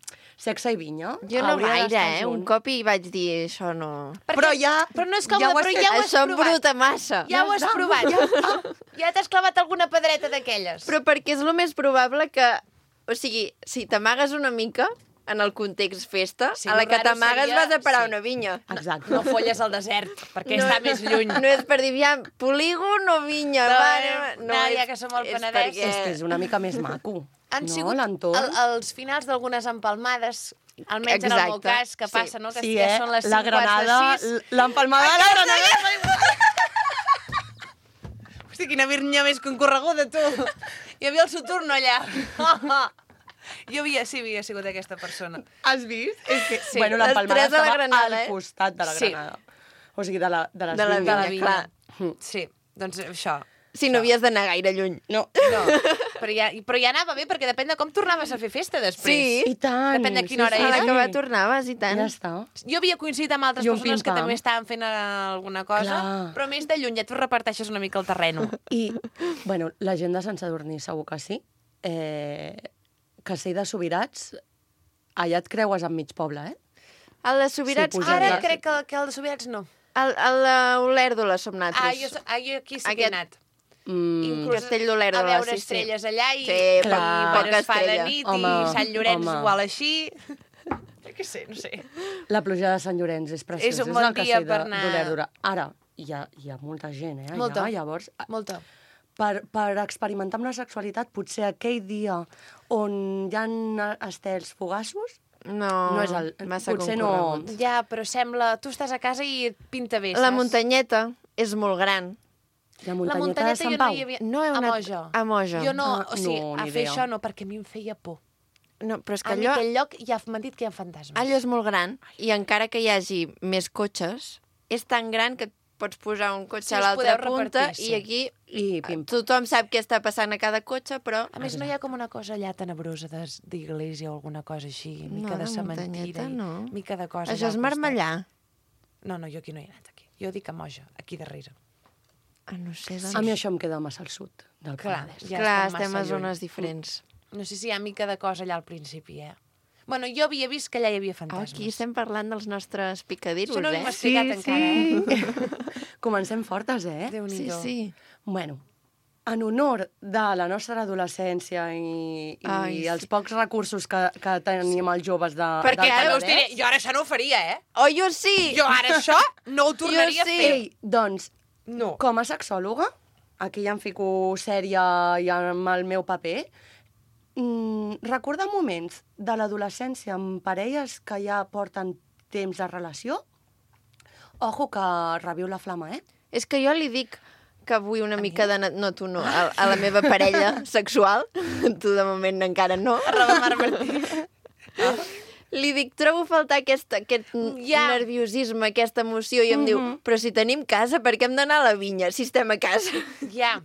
sexe i vinya. Jo no Hauria gaire, d'estar eh? junt. Un cop hi vaig dir, això no... Perquè- Però ja... Però no és ja còmode, ho has però fet. ja ho has Això em provat. bruta massa. Ja ho has Ja està. provat. Ja, ja t'has clavat alguna pedreta d'aquelles. Però perquè és el més probable que... O sigui, si t'amagues una mica en el context festa, Sí, a la lo que raro t'amagues seria- vas a parar sí. una vinya. Exacte. No folles al desert, perquè està més lluny. No és per dir, aviam, polígon o vinya? No, va, eh, no, no, és- ja que som al és Penedès. perquè- És que és una mica més maco. Han no, sigut l'entorn. el, els finals d'algunes empalmades, almenys en el meu Exacte, cas, que sí. passa, no? Que Sí, ja eh? són les la cinc quarts granada, de sis. l'empalmada de la granada. Hosti, quina virnya més concorreguda, tu! Hi havia el Saturno allà. Jo havia, sí, havia sigut aquesta persona. Has vist? És que, Sí, bueno, les l'empalmada tres de la estava granada, al eh? costat de la Sí. granada. O sigui, de, la, de les De la vinyes. vinya, la vinya. clar. Mm. Sí, doncs això. Si no havies d'anar gaire lluny. No. No, però ja, però ja anava bé, perquè depèn de com tornaves a fer festa després. Sí. I tant. Depèn de quina hora A era. l'acabar tornaves, i tant. Ja està. Jo havia coincidit amb altres I un persones que pim-pam. també estaven fent eh, alguna cosa, Clar. però més de lluny ja tu reparteixes una mica el terreno. I, bueno, la gent de Sant Sadurní segur que sí. Eh, Castell de Sobirats, allà et creues amb mig poble, eh? El de Sobirats... Sí, puja- Ara ja. crec que, que el de Sobirats no. El, el d'Olèrdola som Ah, nosaltres. jo, ah, jo aquí sí que Aquest- he anat. Mm, Inclús Castell d'Olèrdola, a veure sí, sí. estrelles allà i, Sí, i clar. quan poca es fa de estrella. nit Home, i Sant Llorenç home. igual així. Jo què sé, no sé. La pluja de Sant Llorenç és preciosa. És un bon el dia castell per de- anar. d'Olèrdola. Ara, hi ha, hi ha molta gent, eh? Allà, Molta. Llavors, Molta. per, per experimentar amb la sexualitat, potser aquell dia on hi ha estels fugassos, No, no és el... massa potser no... concorregut. Ja, però sembla... Tu estàs a casa i et pinta bé, La saps? muntanyeta és molt gran. La La muntanyeta, muntanyeta de Sant jo Pau. no hi havia... No he a anat- Moja. a Moja. Jo no, Ah, o sigui, no, a ni fer idea. això no, perquè a mi em feia por. No, però és que A mi allò, aquell lloc ja m'han dit que hi ha fantasmes. allò és molt gran, i encara que hi hagi més cotxes, és tan gran que et pots posar un cotxe Sí, a us l'altra podeu punta, repartir, i sí. aquí I pim. tothom sap què està passant a cada cotxe, però... A més, no hi ha com una cosa allà tenebrosa de- d'església o alguna cosa així, mica No, de la cementiri, muntanyeta no. mica de cosa Això allà és al costat. marmellar. No, no, jo aquí no hi he anat, aquí. Jo dic a Moja, aquí darrere. Ah, no sé, doncs... A mi això em queda massa al sud del Clar, Penedès. ja Clar, estem estem a massa zones lluny. diferents. No sé si hi ha mica de cosa allà al principi, eh? Bueno, jo havia vist que allà hi havia Oh, fantasmes. aquí estem parlant dels nostres picadiros, Això no eh? m'ho has explicat encara, eh? Comencem fortes, eh? Sí, Déu-n'hi-do. sí. Bueno, en honor de la nostra adolescència i, i Ai, sí. els pocs recursos que, que tenim els joves de, Perquè del ara us Penedès... diré, jo ara això no ho faria, eh? Oh, jo sí! Jo ara això no ho tornaria Jo sí. a fer. Ei, doncs, No. com a sexòloga, aquí ja em fico sèria i amb el meu paper, mm, recordar moments de l'adolescència amb parelles que ja porten temps de relació, ojo que reviu la flama, eh? És que jo li dic que vull una mica de... No, tu no, a, a la meva parella sexual, tu de moment encara no. Arroba Mar Martí. Li dic, trobo a faltar aquest, aquest Ja. nerviosisme, aquesta emoció, i em diu, però si tenim casa, per què hem d'anar a la vinya si estem a casa? Ja.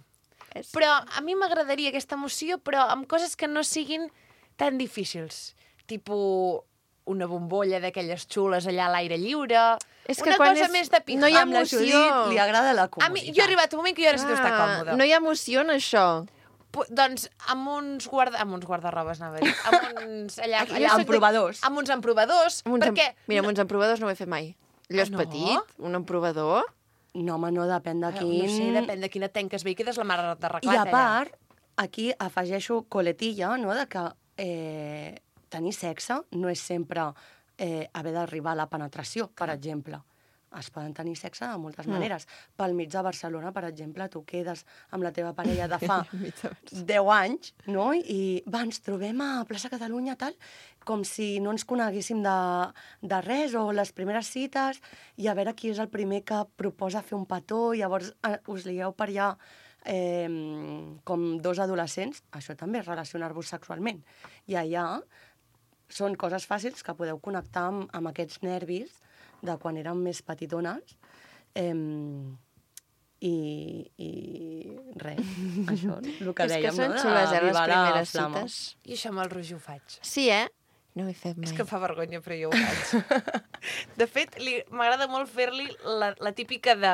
És- Però a mi m'agradaria aquesta emoció, però amb coses que no siguin tan difícils. Tipo una bombolla d'aquelles xules allà a l'aire lliure. És que una quan cosa és- més de pija. no hi ha Amb la emoció. Judit li agrada la A mi, comoditat. jo he arribat un moment que jo necessito estar Ah, còmoda. no hi ha emoció en això. Pu- Doncs amb uns, guarda... amb uns guardarrobes, anava a dir. Amb uns... Allà, Aquí allà jo soc soc de- emprovadors. Amb uns emprovadors. Amb uns em- perquè... Mira, amb uns emprovadors no ho he fet mai. Allò és Ah, no? petit, un emprovador. No, home, no, depèn de No, quin... no sé, depèn de quina tenques bé i quedes la mare de I reclat, a part, aquí afegeixo coletilla, no?, de que eh, tenir sexe no és sempre eh, haver d'arribar a la penetració, per exemple. Es poden tenir sexe de moltes Mm. maneres. Pel mig de Barcelona, per exemple, tu quedes amb la teva parella de fa deu anys, no?, i va, ens trobem a plaça Catalunya, tal, com si no ens coneguéssim de, de res, o les primeres cites, i a veure qui és el primer que proposa fer un petó, i llavors eh, us ligueu per allà eh, com dos adolescents, això també és relacionar-vos sexualment. I allà són coses fàcils que podeu connectar amb, amb aquests nervis de quan érem més petitones. Eh, i, I res, això, el que És dèiem, que són no? xules, eh, les d'avivar la primeres flama. cites. I això amb el roger ho faig. Sí, eh? No ho he fet mai. És que em fa vergonya, però jo ho faig. De fet, li- m'agrada molt fer-li la, la típica de...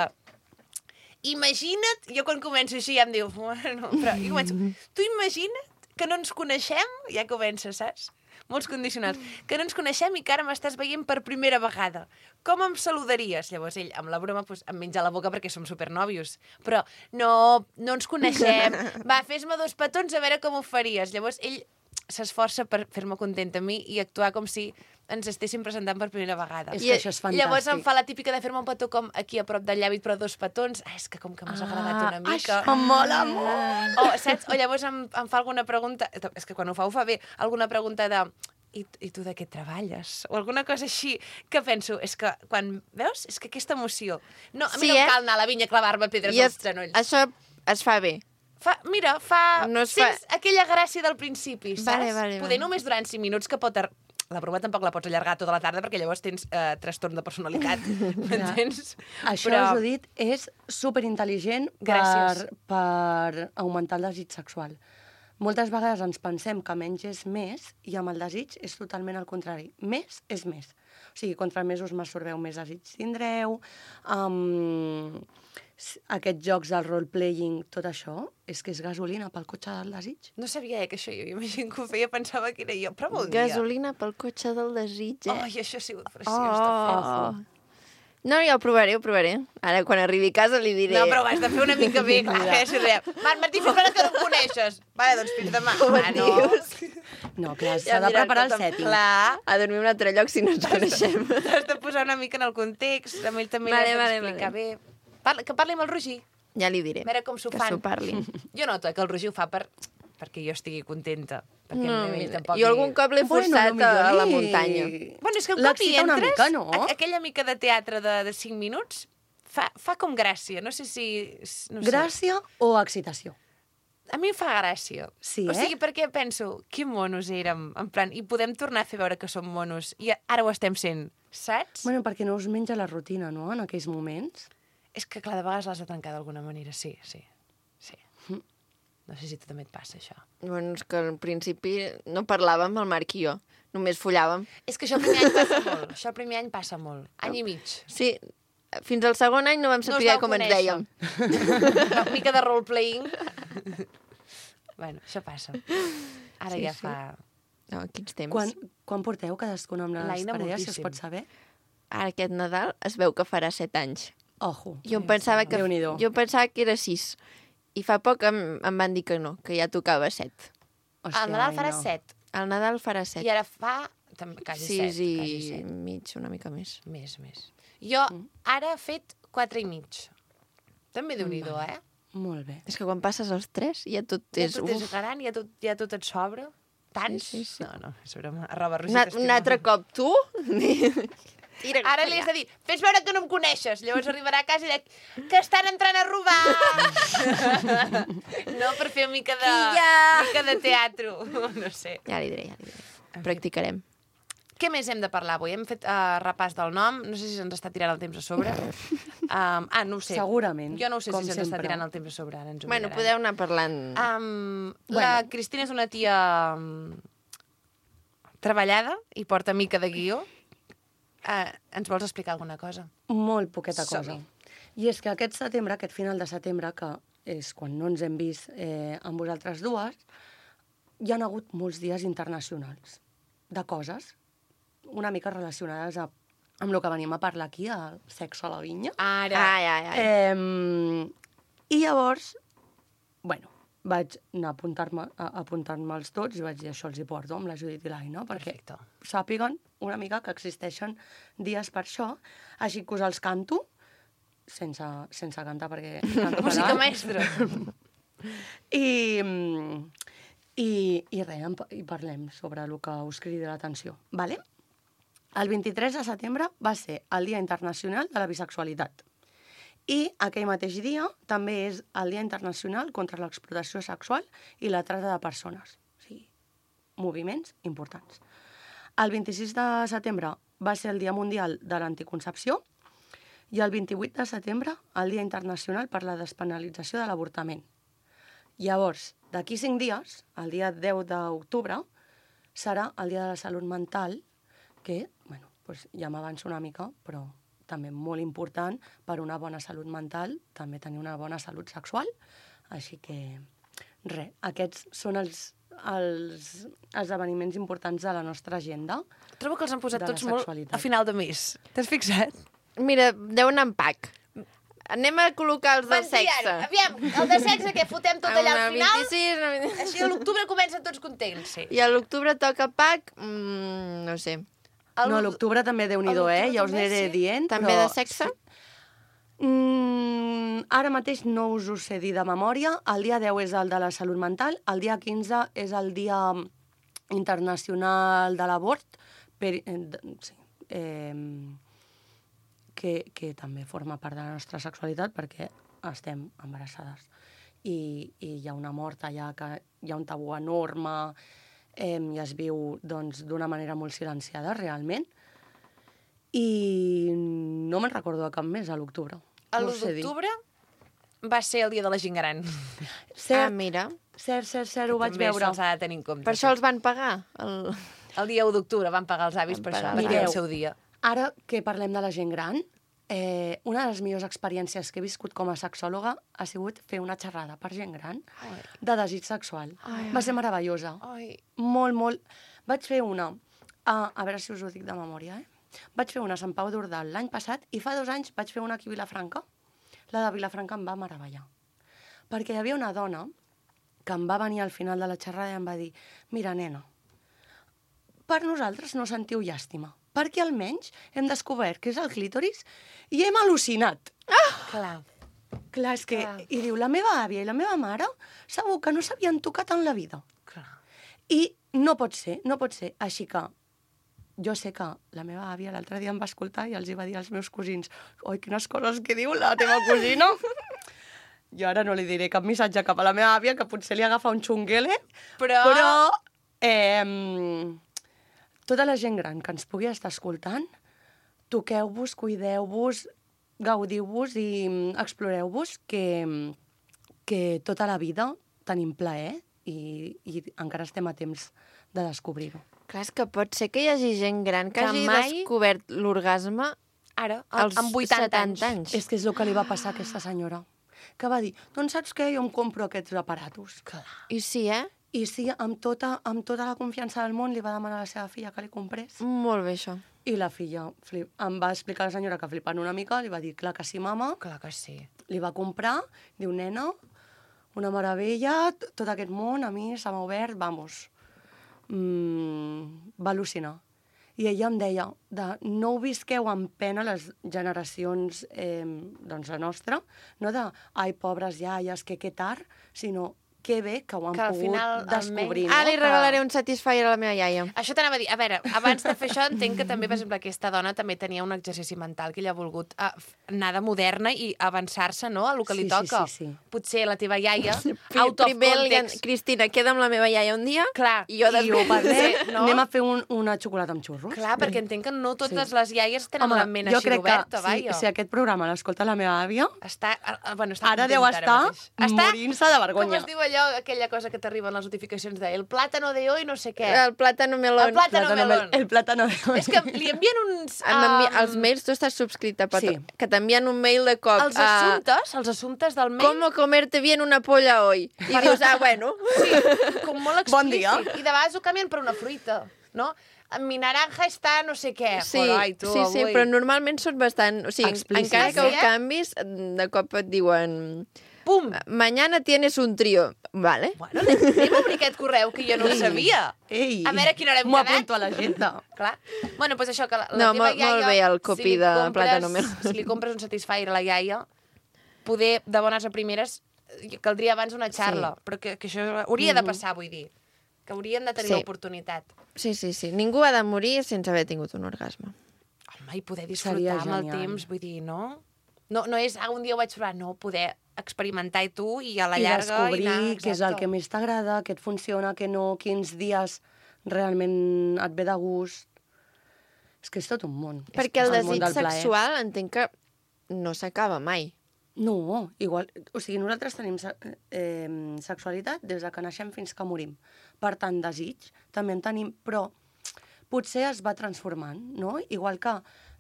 Imagina't, jo quan començo així ja em diu... Bueno, però jo començo... Tu imagina't que no ens coneixem, ja comença, saps? Molts condicionals. Que no ens coneixem i que ara m'estàs veient per primera vegada. Com em saludaries? Llavors ell, amb la broma, doncs, em menja la boca perquè som supernòvios. Però no, no ens coneixem. Va, fes-me dos petons a veure com ho faries. Llavors ell s'esforça per fer-me contenta a mi i actuar com si ens estéssim presentant per primera vegada. És I- que això és fantàstic. Llavors em fa la típica de fer-me un petó com aquí a prop del llavi, però dos petons. Ah, és que com que m'has agradat una mica. Això mola molt! O, saps? O llavors em, em fa alguna pregunta... És que quan ho fa, ho fa bé. Alguna pregunta de... I, I tu de què treballes? O alguna cosa així que penso, és que quan... Veus? És que aquesta emoció... No, a mi Sí, no em eh? cal anar a la vinya a clavar-me pedres I als es, genolls. això es fa bé. Fa, mira, fa... No es fa- Sents aquella gràcia del principi, saps? Vale, vale, Poder vale. només durant cinc minuts que pot ar la broma tampoc la pots allargar tota la tarda perquè llavors tens eh, trastorn de personalitat, m'entens? Això, Però... Judit, és superintel·ligent per, Gràcies. per augmentar el desig sexual. Moltes vegades ens pensem que menys és més i amb el desig és totalment al contrari. Més és més. O sigui, contra més us masturbeu, més desig tindreu. Um, aquests jocs del role-playing, tot això, és que és gasolina pel cotxe del desig. No sabia eh, que això hi havia gent que ho feia, pensava que era jo, però vol dir. Gasolina pel cotxe del desig, eh? Ai, això ha sigut preciós de fer. Oh. No, ja ho provaré, ho provaré. Ara, quan arribi a casa, li diré... No, però ho has de fer una mica bé, clar, que si diem, Marc Martí, fins ara que no em coneixes. Vale, doncs fins demà. Com Ah, et no. dius? No, clar, s'ha de preparar el setting. Clar, A dormir a un altre lloc si no ens coneixem. has de posar una mica en el context, amb ell també Vale, l'has vale, d'explicar bé. Parla, que parli amb el Roger. Ja li diré. A veure com s'ho que fan. s'ho parli. Jo noto que el Roger ho fa per, perquè jo estigui contenta. Perquè No, ell mira, tampoc jo algun cop l'he Bueno, forçat potser a, a la li- muntanya. Bueno, és que un cop hi L'excita una entres, mica, no? a- aquella mica de teatre de, de cinc minuts fa, fa com gràcia. No sé si... No sé. Gràcia o excitació? A mi em fa gràcia. Sí, O eh? sigui, perquè penso, que monos érem, en plan, i podem tornar a fer veure que som monos, i ara ho estem sent, saps? Bueno, perquè no us menja la rutina, no?, en aquells moments. És que, clar, de vegades l'has de trencar d'alguna manera, sí, sí, sí. No sé si a tu també et passa, això. Bueno, és que al principi no parlàvem, el Marc i jo. Només follàvem. És que això el primer any passa molt, això el primer any passa molt, any i mig. Sí, fins al segon any no vam No us saber vau com ens conèixer. dèiem. Una mica de role-playing. Bueno, això passa. Ara Sí, ja sí. fa... No, quins temps. Quan, quan porteu cadascuna amb les L'Aina parelles, si es moltíssim. pot saber? Ara aquest Nadal es veu que farà set anys. Ojo. Jo em pensava que, Déu-n'hi-do. jo em pensava que era sis. I fa poc em, em van dir que no, que ja tocava set. Hòstia, Al Nadal farà Aina. set. Al Nadal farà set. I ara fa... tam- Quasi set. Sis i Quasi set. mig, una mica més. Més, més. Jo ara he fet quatre i mig. També déu-n'hi-do, eh? Molt bé. És que quan passes els tres ja tot Ja és... tot és uf. gran, ja tot, ja tot et sobra. Tants? Sí, sí, sí. No, no, és broma. Arroba Un, Roger, a- un altre cop, tu? Tira Ara li has de dir, fes veure que no em coneixes. Llavors arribarà a casa i dirà, que estan entrant a robar! No, per fer una mica de, Quilla! mica de teatre. No sé. Ja li diré, ja li diré. Practicarem. Què més hem de parlar avui? Hem fet uh, repàs del nom. No sé si se'ns està tirant el temps a sobre. Um, ah, no ho sé. Segurament, Jo no ho sé com si se'ns està sempre. tirant el temps a sobre. Ara ens ho Bueno, miraran. podeu anar parlant... Um, la Cristina és una tia um, treballada i porta mica de guió. Uh, ens vols explicar alguna cosa? Molt poqueta cosa. Som-hi. I és que aquest setembre, aquest final de setembre, que és quan no ens hem vist eh, amb vosaltres dues, hi han hagut molts dies internacionals de coses una mica relacionades a, amb el que venim a parlar aquí, el sexe a la vinya. Ara. Ai, ai, ai. Eh, I llavors, bueno, vaig anar a apuntar-me a apuntar-me els tots i vaig dir això els hi porto amb la Judit i l'Aina, perquè Perfecte. sàpiguen una mica que existeixen dies per això, així que us els canto, sense, sense cantar perquè canto Música fatal. maestra. I, mm, i, i res, en pa- i parlem sobre el que us cridi l'atenció. Vale? El vint-i-tres de setembre va ser el Dia Internacional de la Bisexualitat. I aquell mateix dia també és el Dia Internacional contra l'explotació sexual i la trata de persones. O sigui, moviments importants. El vint-i-sis de setembre va ser el Dia Mundial de l'Anticoncepció i el vint-i-vuit de setembre el Dia Internacional per la Despenalització de l'Avortament. Llavors, d'aquí cinc dies, el dia deu d'octubre, serà el Dia de la Salut Mental, que, bueno, doncs ja m'avanço una mica, però també molt important per una bona salut mental, també tenir una bona salut sexual. Així que, res, aquests són els, els esdeveniments importants de la nostra agenda. Trobo que els han posat De la tots molt sexualitat. a final de mes. T'has fixat? Mira, deu anar en pack. Anem a col·locar els del sexe. Aviam, el de sexe que fotem tot allà al Una final. vint-i-sis, una vint- Així a l'octubre comencen tots contents, sí. I a l'octubre toca pack, mm, no sé. El- No, a l'octubre també Déu-n'hi-do, a eh? l'octubre Ja us també, aniré sí. dient, També però... de sexe? Mm, ara mateix no us ho sé dir de memòria. El dia deu és el de la salut mental, el dia quinze és el dia internacional de l'abort, per, eh, de- sí, eh, que, que també forma part de la nostra sexualitat perquè estem embarassades. I, i hi ha una mort allà, que hi ha un tabú enorme, eh, i es viu doncs, d'una manera molt silenciada, realment. I no me'n recordo de cap més, a l'octubre. El No l'u sé dir. d'octubre va ser el dia de la gent gran. Ah, mira. Cert, cert, cert, ho vaig També veure. se'ls ha de tenir en compte. Per això els van pagar. El... El dia u d'octubre van pagar els avis Van per pagar això, els perquè era el avis. seu dia. Ara que parlem de la gent gran, eh, una de les millors experiències que he viscut com a sexòloga ha sigut fer una xerrada per gent gran Ai. de desig sexual. Ai, Va ser meravellosa. Ai. Molt, molt... Vaig fer una, a, a veure si us ho dic de memòria, eh? Vaig fer una a Sant Pau d'Ordal l'any passat i fa dos anys vaig fer una aquí a Vilafranca. La de Vilafranca em va meravellar. Perquè hi havia una dona que em va venir al final de la xerrada i em va dir: mira, nena, per nosaltres no sentiu llàstima, perquè almenys hem descobert que és el clítoris i hem al·lucinat. Clar. Clar, és que... Clar. I diu, la meva àvia i la meva mare segur que no s'havien tocat en la vida. Clar. I no pot ser, no pot ser. Així que jo sé que la meva àvia l'altre dia em va escoltar i els hi va dir als meus cosins: oi, quines coses que diu la teva cosina. Jo ara no li diré cap missatge cap a la meva àvia, que potser li agafa un xunguele, Però... però eh, tota la gent gran que ens pugui estar escoltant, toqueu-vos, cuideu-vos, gaudiu-vos i mm, exploreu-vos, que, que tota la vida tenim plaer i, i encara estem a temps de descobrir-ho. Clar, és que pot ser que hi hagi gent gran que, Que hagi mai- descobert l'orgasme Ara, als amb vuitanta setanta anys. anys. És que és el que li va passar a aquesta senyora, que va dir, doncs saps què, jo em compro aquests aparatos. I sí, eh? I sí, amb tota, amb tota la confiança del món li va demanar a la seva filla que li comprés. Molt bé, això. I la filla flip, em va explicar a la senyora que flipant una mica, li va dir, clar que sí, mama, Clar que sí. li va comprar, diu, nena, una meravella, t- tot aquest món a mi se m'ha obert, vamos, mm, va al·lucinar. I ella em deia, de, no ho visqueu amb pena les generacions, eh, doncs la nostra, no de, ai, pobres iaies, que que tard, sinó que bé que ho han Que al pogut final, descobrir. almenys- No? Ah, li Que- regalaré un Satisfyer a la meva iaia. Això t'anava a dir. A veure, abans de fer això entenc que també, per exemple, aquesta dona també tenia un exercici mental que ella ha volgut uh, anar de moderna i avançar-se, no?, a lo que li Sí, sí, toca. sí, sí. Potser la teva iaia, Pri- out of Primer, li han- context... Cristina, queda amb la meva iaia un dia Clar, i jo I ho després... parlem, Sí, no? anem a fer un, una xocolata amb xurros. Clar, perquè entenc que no totes Sí. les iaies tenen Home, la ment jo així crec d'oberta, que vaja. si, si aquest programa l'escolta la meva àvia, Està, ah, ah, bueno, està ara contenta deu ara estar mateix. Està, morint-se de com vergonya. es diu allò, aquella cosa que t'arriben les notificacions de el plàtano de hoy no sé què. El plàtano melón. El plàtano Plátano melón. mel- El plátano melón. És que li envien uns... Em envi- um, Els mails, tu estàs subscrita, per Sí. tot, que t'envien un mail de cop. Els a assumptes, els assumptes del mail... ¿Cómo comerte bien una polla hoy? I dius, ah, bueno. Sí, com molt explícit. Bon dia. I de vegades ho canvien per una fruita, no? Mi naranja està no sé què. Sí, Però, ai, tu, sí, sí, avui... però normalment són bastant... O sigui, Explícits. encara que ho Sí, eh? canvis, de cop et diuen... Pum! Mañana tienes un trío. Vale. Bueno, anem a obrir aquest correu, que jo no ho sabia. Ei, A veure a quina hora hem m'ho quedat. apunto a l'agenda. Clar. Bueno, doncs això, que la, la No, teva molt- iaia... molt bé el copy li de compres- Plátano Melón. Si li compres un Satisfyer a la iaia, poder, de bones a primeres, eh, caldria abans una xarla. Sí. Però que, que això hauria de passar, vull dir. Que haurien de tenir Sí. l'oportunitat. Sí, sí, sí. Ningú ha de morir sense haver tingut un orgasme. Home, i poder Seria disfrutar amb el genial. temps, vull dir, no? No, no és, ah, un dia ho vaig provar, no, poder experimentar i tu i a la I llarga... descobrir i anar, què és el exacte. que més t'agrada, què et funciona, què no, quins dies realment et ve de gust. És que és tot un món. Perquè és el món desig del plaer. sexual entenc que no s'acaba mai. No, igual... O sigui, nosaltres tenim se- eh, sexualitat des de que naixem fins que morim. Per tant, desig també en tenim, però potser es va transformant, no? Igual que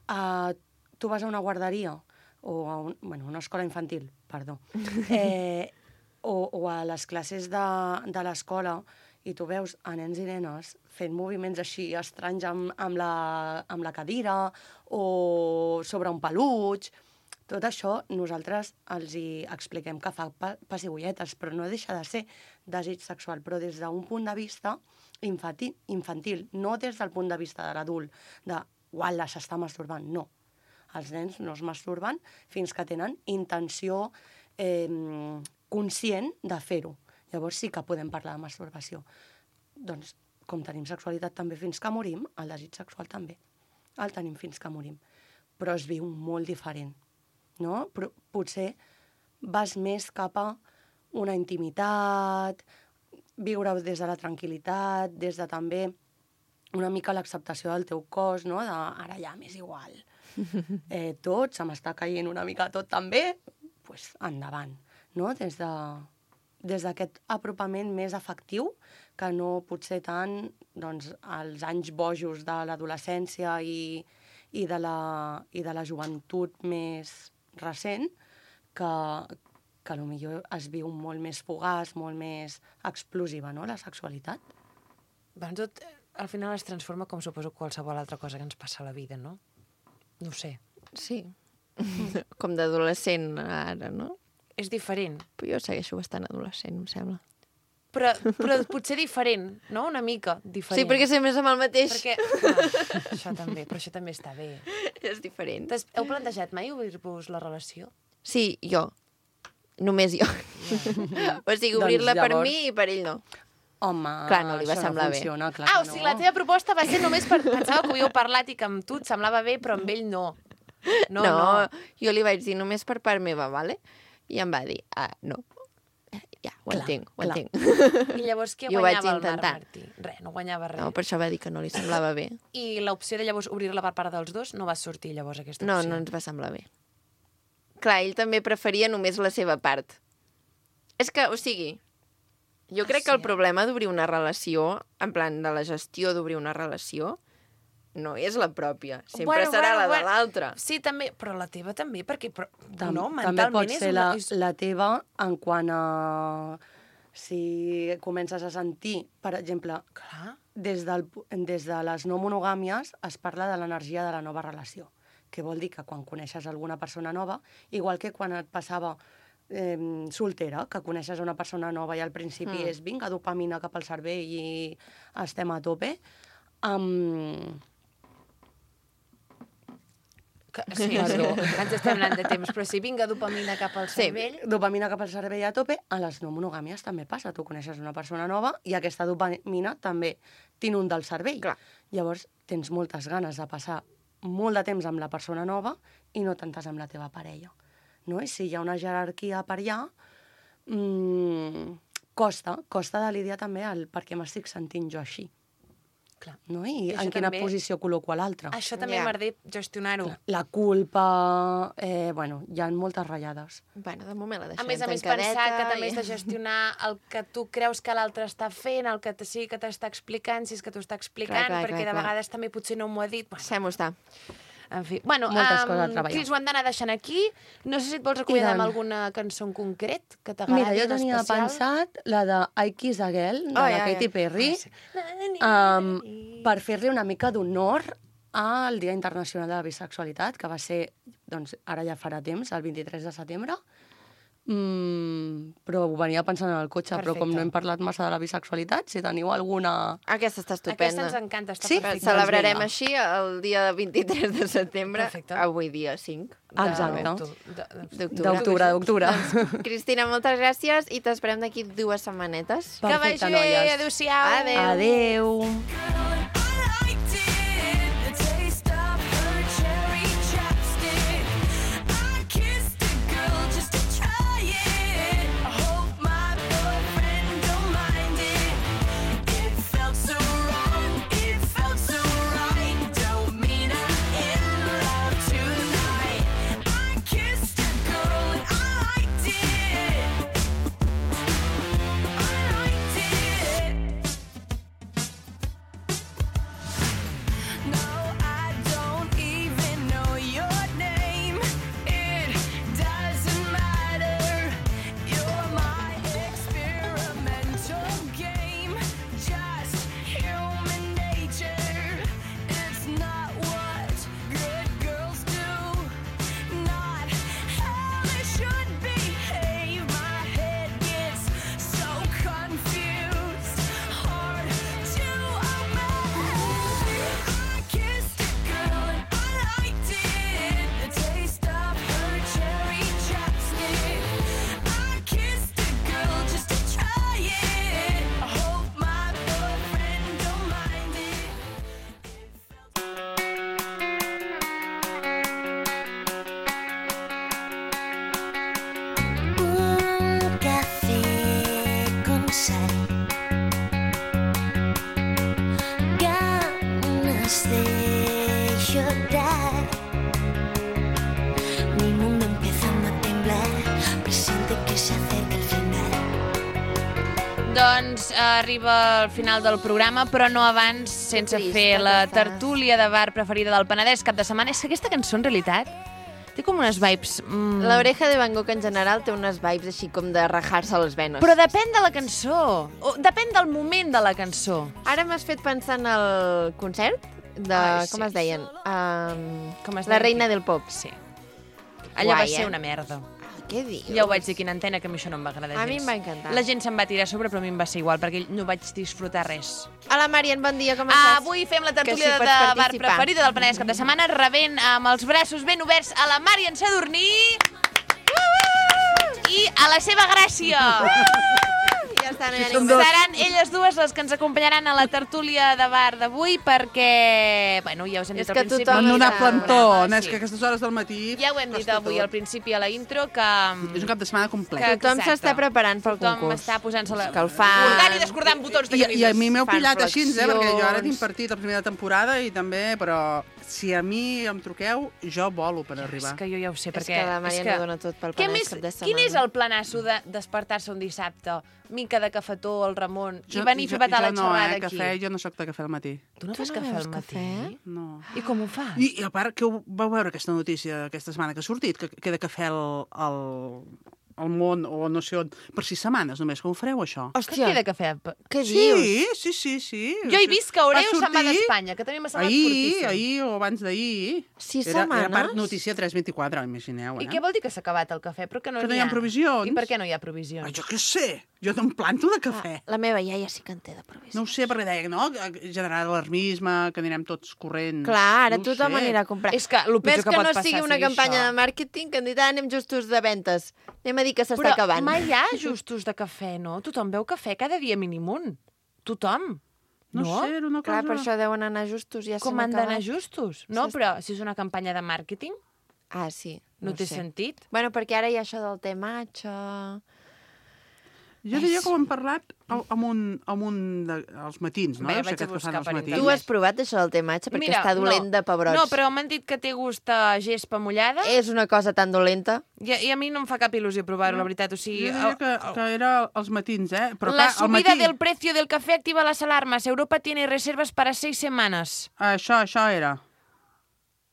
eh, tu vas a una guarderia o a un, bueno, una escola infantil, perdó, eh, o, o a les classes de, de l'escola i tu veus a nens i nenes fent moviments així estranys amb, amb, la, amb la cadira o sobre un peluig. Tot això nosaltres els hi expliquem que fa pa pessigolletes, però no deixa de ser desig sexual, però des d'un punt de vista infantil, infantil, no des del punt de vista de l'adult, de uala, s'està masturbant, no. Els nens no es masturben fins que tenen intenció eh, conscient de fer-ho. Llavors sí que podem parlar de masturbació. Doncs, com tenim sexualitat també fins que morim, el desig sexual també el tenim fins que morim. Però es viu molt diferent. No? Però potser vas més cap a una intimitat, viure des de la tranquil·litat, des de també una mica l'acceptació del teu cos, no? De, ara ja m'és igual. Eh, tot, se m'està caient una mica tot també, doncs pues, endavant, no? Des de, des d'aquest apropament més afectiu, que no potser tant doncs, als anys bojos de l'adolescència i, i, de la, i de la joventut més recent, que, que potser es viu molt més fugaç, molt més explosiva, no?, la sexualitat. Doncs tot, al final es transforma com suposo qualsevol altra cosa que ens passa a la vida, no? No ho sé. Sí. Com d'adolescent ara, no? És diferent. Però jo segueixo bastant adolescent, em sembla. Però, però potser diferent, no? Una mica diferent. Sí, perquè sempre és amb el mateix. Perquè, clar, això també, però això també està bé. És diferent. Entonces, heu plantejat mai obrir-vos la relació? Sí, jo. Només jo. Ja. O sigui, obrir-la Doncs per llavors- mi i per ell no. Home, Clar, no li va això semblar no bé. funciona, clar Ah, que o sigui, no. la teva proposta va ser només per... Pensava que ho havíeu parlat i que amb tu et semblava bé, però amb ell no. No, no, no. jo li vaig dir només per part meva, vale? I em va dir, ah, no. Ja, ho Clar, entenc, ho clar. entenc. I llavors què Jo ho vaig guanyava el Marc intentar. Martí? Res, no guanyava res. No, per això va dir que no li semblava bé. I l'opció de llavors obrir-la per part dels dos no va sortir llavors aquesta No, opció? no ens va semblar bé. Clar, ell també preferia només la seva part. És que, o sigui, jo Ah, crec sí, que el eh? problema d'obrir una relació, en plan de la gestió d'obrir una relació, no és la pròpia. Sempre Bueno, serà bueno, la de bueno. l'altra. Sí, també, però la teva també, perquè però, Tam no, també mentalment pot és ser una... la, És... la teva en quant a... Si comences a sentir, per exemple, Clar. des, del, des de les no monogàmies es parla de l'energia de la nova relació, que vol dir que quan coneixes alguna persona nova, igual que quan et passava eh, soltera, que coneixes una persona nova i al principi Mm. és vinga, dopamina cap al cervell i estem a tope, um, Que, sí, sí, ens estem anant de temps, però si vinga dopamina cap al Sí. cervell... dopamina cap al cervell a tope, a les no monogàmies també passa. Tu coneixes una persona nova i aquesta dopamina també t'inunda el cervell. Clar. Llavors, tens moltes ganes de passar molt de temps amb la persona nova i no tantes amb la teva parella. No? I si hi ha una jerarquia per allà, mmm, costa, costa de lidiar també el per què m'estic sentint jo així. Clar. No? I, I això en quina també- posició col·loco a l'altre. Això també Ja. m'ha de gestionar-ho. La culpa... Eh, bueno, hi ha moltes ratllades. Bueno, de moment la A deixem més a més, tancadeta. pensar que també i- has de gestionar el que tu creus que l'altre està fent, el que t- sí que t'està explicant, si és que t'ho està explicant, Clar, clar, perquè clar, de clar. vegades també potser no m'ho ha dit. Bueno, Deixem-ho estar. en fi. Bueno, Moltes coses a um, treballar. Cris, ho hem d'anar deixant aquí. No sé si et vols acomiadar amb tant. alguna cançó en concret que t'agradi, Mira, jo en tenia especial. pensat la de I Kiss a Girl, de Ai, la ai, Katy ai. Perry, Ah, um, per fer-li una mica d'honor al Dia Internacional de la Bisexualitat, que va ser, doncs, ara ja farà temps, el vint-i-tres de setembre, mm, però ho venia pensant en el cotxe, però com Perfecte. no hem parlat massa de la bisexualitat, si teniu alguna... Aquesta està Aquesta estupenda. ens encanta, està Sí? perfecta. Celebrarem Doncs així el dia vint-i-tres de setembre, Perfecte. avui dia cinc Exacte. d'octu- de- de- d'octubre. D'octubre, d'octubre. Cristina, moltes gràcies i t'esperem d'aquí dues setmanetes. Que vagi Perfecte, bé, noies. adéu-siau. Adéu. Adéu. I liked it, the taste of her cherry chapstick. I kissed a girl just to try it. I hope my boyfriend don't mind it. It felt so wrong, it felt so right. Don't mean I'm in love tonight. I kissed a girl and I liked it. I liked it. Doncs eh, arriba al final del programa, però no abans sense trist, fer que la fas. tertúlia de bar preferida del Penedès cap de setmana. És que aquesta cançó, en realitat, té com unes vibes... Mm, L'Oreja de Van Gogh en general té unes vibes així com de rajar-se les venes. Però depèn de la cançó. O depèn del moment de la cançó. Ara m'has fet pensar en el concert de... Ai, com sí. es deien? Um, Com es la deia? reina del pop. Sí. Allò va Guai, ser eh? una merda. Què dius? Ja ho vaig dir aquí en antena, que a mi això no em va agradar gens. A mi em va encantar. La gent se'n va tirar a sobre, però a mi em va ser igual, perquè no vaig disfrutar res. Hola, Marian, bon dia, com Ah, estàs? avui fem la Que tertúlia si de pots bar participar. preferida del Penedès cap de setmana, rebent amb els braços ben oberts a la Marian Sadurní i a la seva gràcia. Ja està, no hi ha Som ningú dos. més. Seran elles dues les que ens acompanyaran a la tertúlia de bar d'avui perquè, bueno, ja us hem És dit al que principi... tothom Van donar està- plantó, programa, és que a aquestes hores del matí... Ja ho hem dit costa avui tot. al principi a la intro que... És un cap de setmana complet. que Tothom exacte. s'està preparant pel Tothom concurs. està posant-se la... Escalfant. Cordant i descordant botons de I, camises. I a mi m'heu fan pillat així, eh, perquè jo ara flexions. tinc partit a primera temporada i també, però si a mi em truqueu, jo volo per arribar. És que jo ja ho sé, És perquè... que la Marian ho dona tot pel Què Penedès més, cap de quin setmana. és el planasso de despertar-se un dissabte, mica de cafetó al Ramon, Jo- i venir a fer jo- petar la jo no, xerrada eh, aquí? Cafè, jo no sóc de cafè al matí. Tu no Tu fas no cafè beus al matí? cafè? No. I com ho fas? I, I a part, que ho, vau veure aquesta notícia aquesta setmana que ha sortit, que queda cafè al, al, al món o no sé on, per sis setmanes només. Com ho fareu, això? Que Hòstia, queda cafè? què dius? Sí, sí, sí, sí. Jo he vist que Oreo Va se'n va sortir d'Espanya, que també m'ha semblat Ahir, fortíssim. ahir o abans d'ahir. Sis era, Era setmanes? part notícia tres vint-i-quatre, imagineu, eh? I què vol dir que s'ha acabat el cafè? Però que no Que no n'hi hi ha provisions. I per què no hi ha provisions? Ai, jo què sé, jo no em planto de cafè. La meva iaia sí que en té de provisió. No ho sé, perquè deia, no?, generar alarmisme, que anirem tots corrents. Clar, ara no ho tothom sé. anirà a comprar. És que el pitjor Més que que pot no passar sigui una sigui campanya això. de màrqueting, que han dit, ah, anem justos de ventes. Anem a dir que s'està Però acabant. mai hi ha justos de cafè, no? Tothom veu cafè cada dia mínim un. Tothom. No, No? sé, era una cosa... Clar, per això deuen anar justos, ja Com s'han han d'anar acabat. justos? No, Sí. però si és una campanya de màrqueting, Ah, sí. no, ho té sé. sentit. Bueno, perquè ara hi ha això del té matxa... Jo diria que ho hem parlat amb un, amb un de, als matins, no? Bé, Deu ser vaig a aquest que buscar fan als per matins. Tu has provat això del té matxa? Perquè està dolent no, de pebrots. No, però m'han dit que té gust a gespa mullada És una cosa tan dolenta. i, i a mi no em fa cap il·lusió provar-ho, la veritat. O Jo sigui, diria que, que era als matins, eh? Però la clar, al subida matí... del precio del café activa las alarmas. Europa tiene reservas para seis semanas. Això, això era.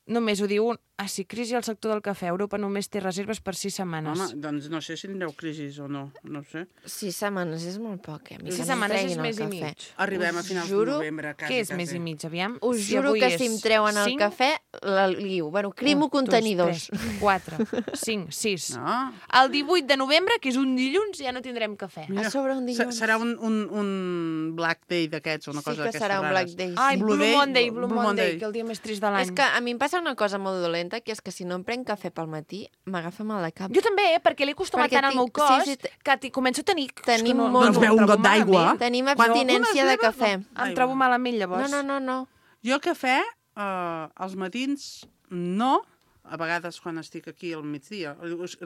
Només ho diu un... Ah, sí, crisi al sector del cafè. Europa només té reserves per sis setmanes. Home, doncs no sé si tindreu crisis o no, no sé. Sis setmanes és molt poc, eh? A mi Sis que no em setmanes és treguin el més i cafè. mig. Arribem a Us finals juro de novembre, quasi, Què és quasi. més i mig, aviam? Us Si juro avui que és si em treuen el cinc, cafè, la liu. Bueno, crimo un, contenidors. Dos, tres, quatre, cinc, sis. No? El divuit de novembre, que és un dilluns, ja no tindrem cafè. A sobre un Se- dilluns. Serà un, un, un Black Day d'aquests, una Sí cosa que d'aquestes serà un rares. Black Day. Ai, sí. Blue, Blue Day, Monday, Blue, Blue Monday, Monday. que el dia més trist de l'any. És que a mi em passa una cosa molt dolenta, que és que si no em prenc cafè pel matí, m'agafa mal de cap. Jo també, eh, perquè l'he acostumat Perquè tant al meu tinc- cos sí, sí, que t'hi començo a tenir... Tenim és que no, molt- Doncs no, beu em un trobo got d'aigua. malament. Tenim Quan abstinència algunes de cafè. beves, Em trobo malament, No, llavors. no, no, no. Jo cafè, eh, als matins, no. A vegades quan estic aquí al migdia,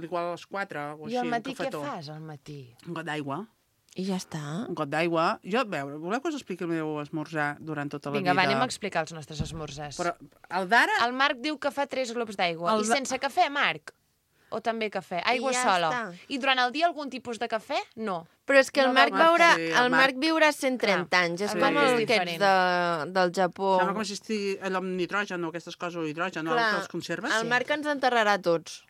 igual a les quatre o així, I al matí un què cafetó. fas, al matí? Un got d'aigua. I ja està. Un got d'aigua. Jo, a veure, voleu que us expliqui el meu esmorzar durant tota la Vinga, vida? va, anem a explicar els nostres esmorzars. Però el d'ara... El Marc diu que fa tres globs d'aigua. El I de- sense cafè, Marc? O també cafè? Aigua ja sola. està. I durant el dia algun tipus de cafè? No. Però és que el No Marc del veurà, Sí, el el Marc. Marc viurà cent trenta anys. És el com Marc és el aquests diferent. de, del Japó. Sembla com si estigui allò amb nitrogen o aquestes coses, o hidrogen, no? Clar, Que els conserves. el Marc ens enterrarà a tots.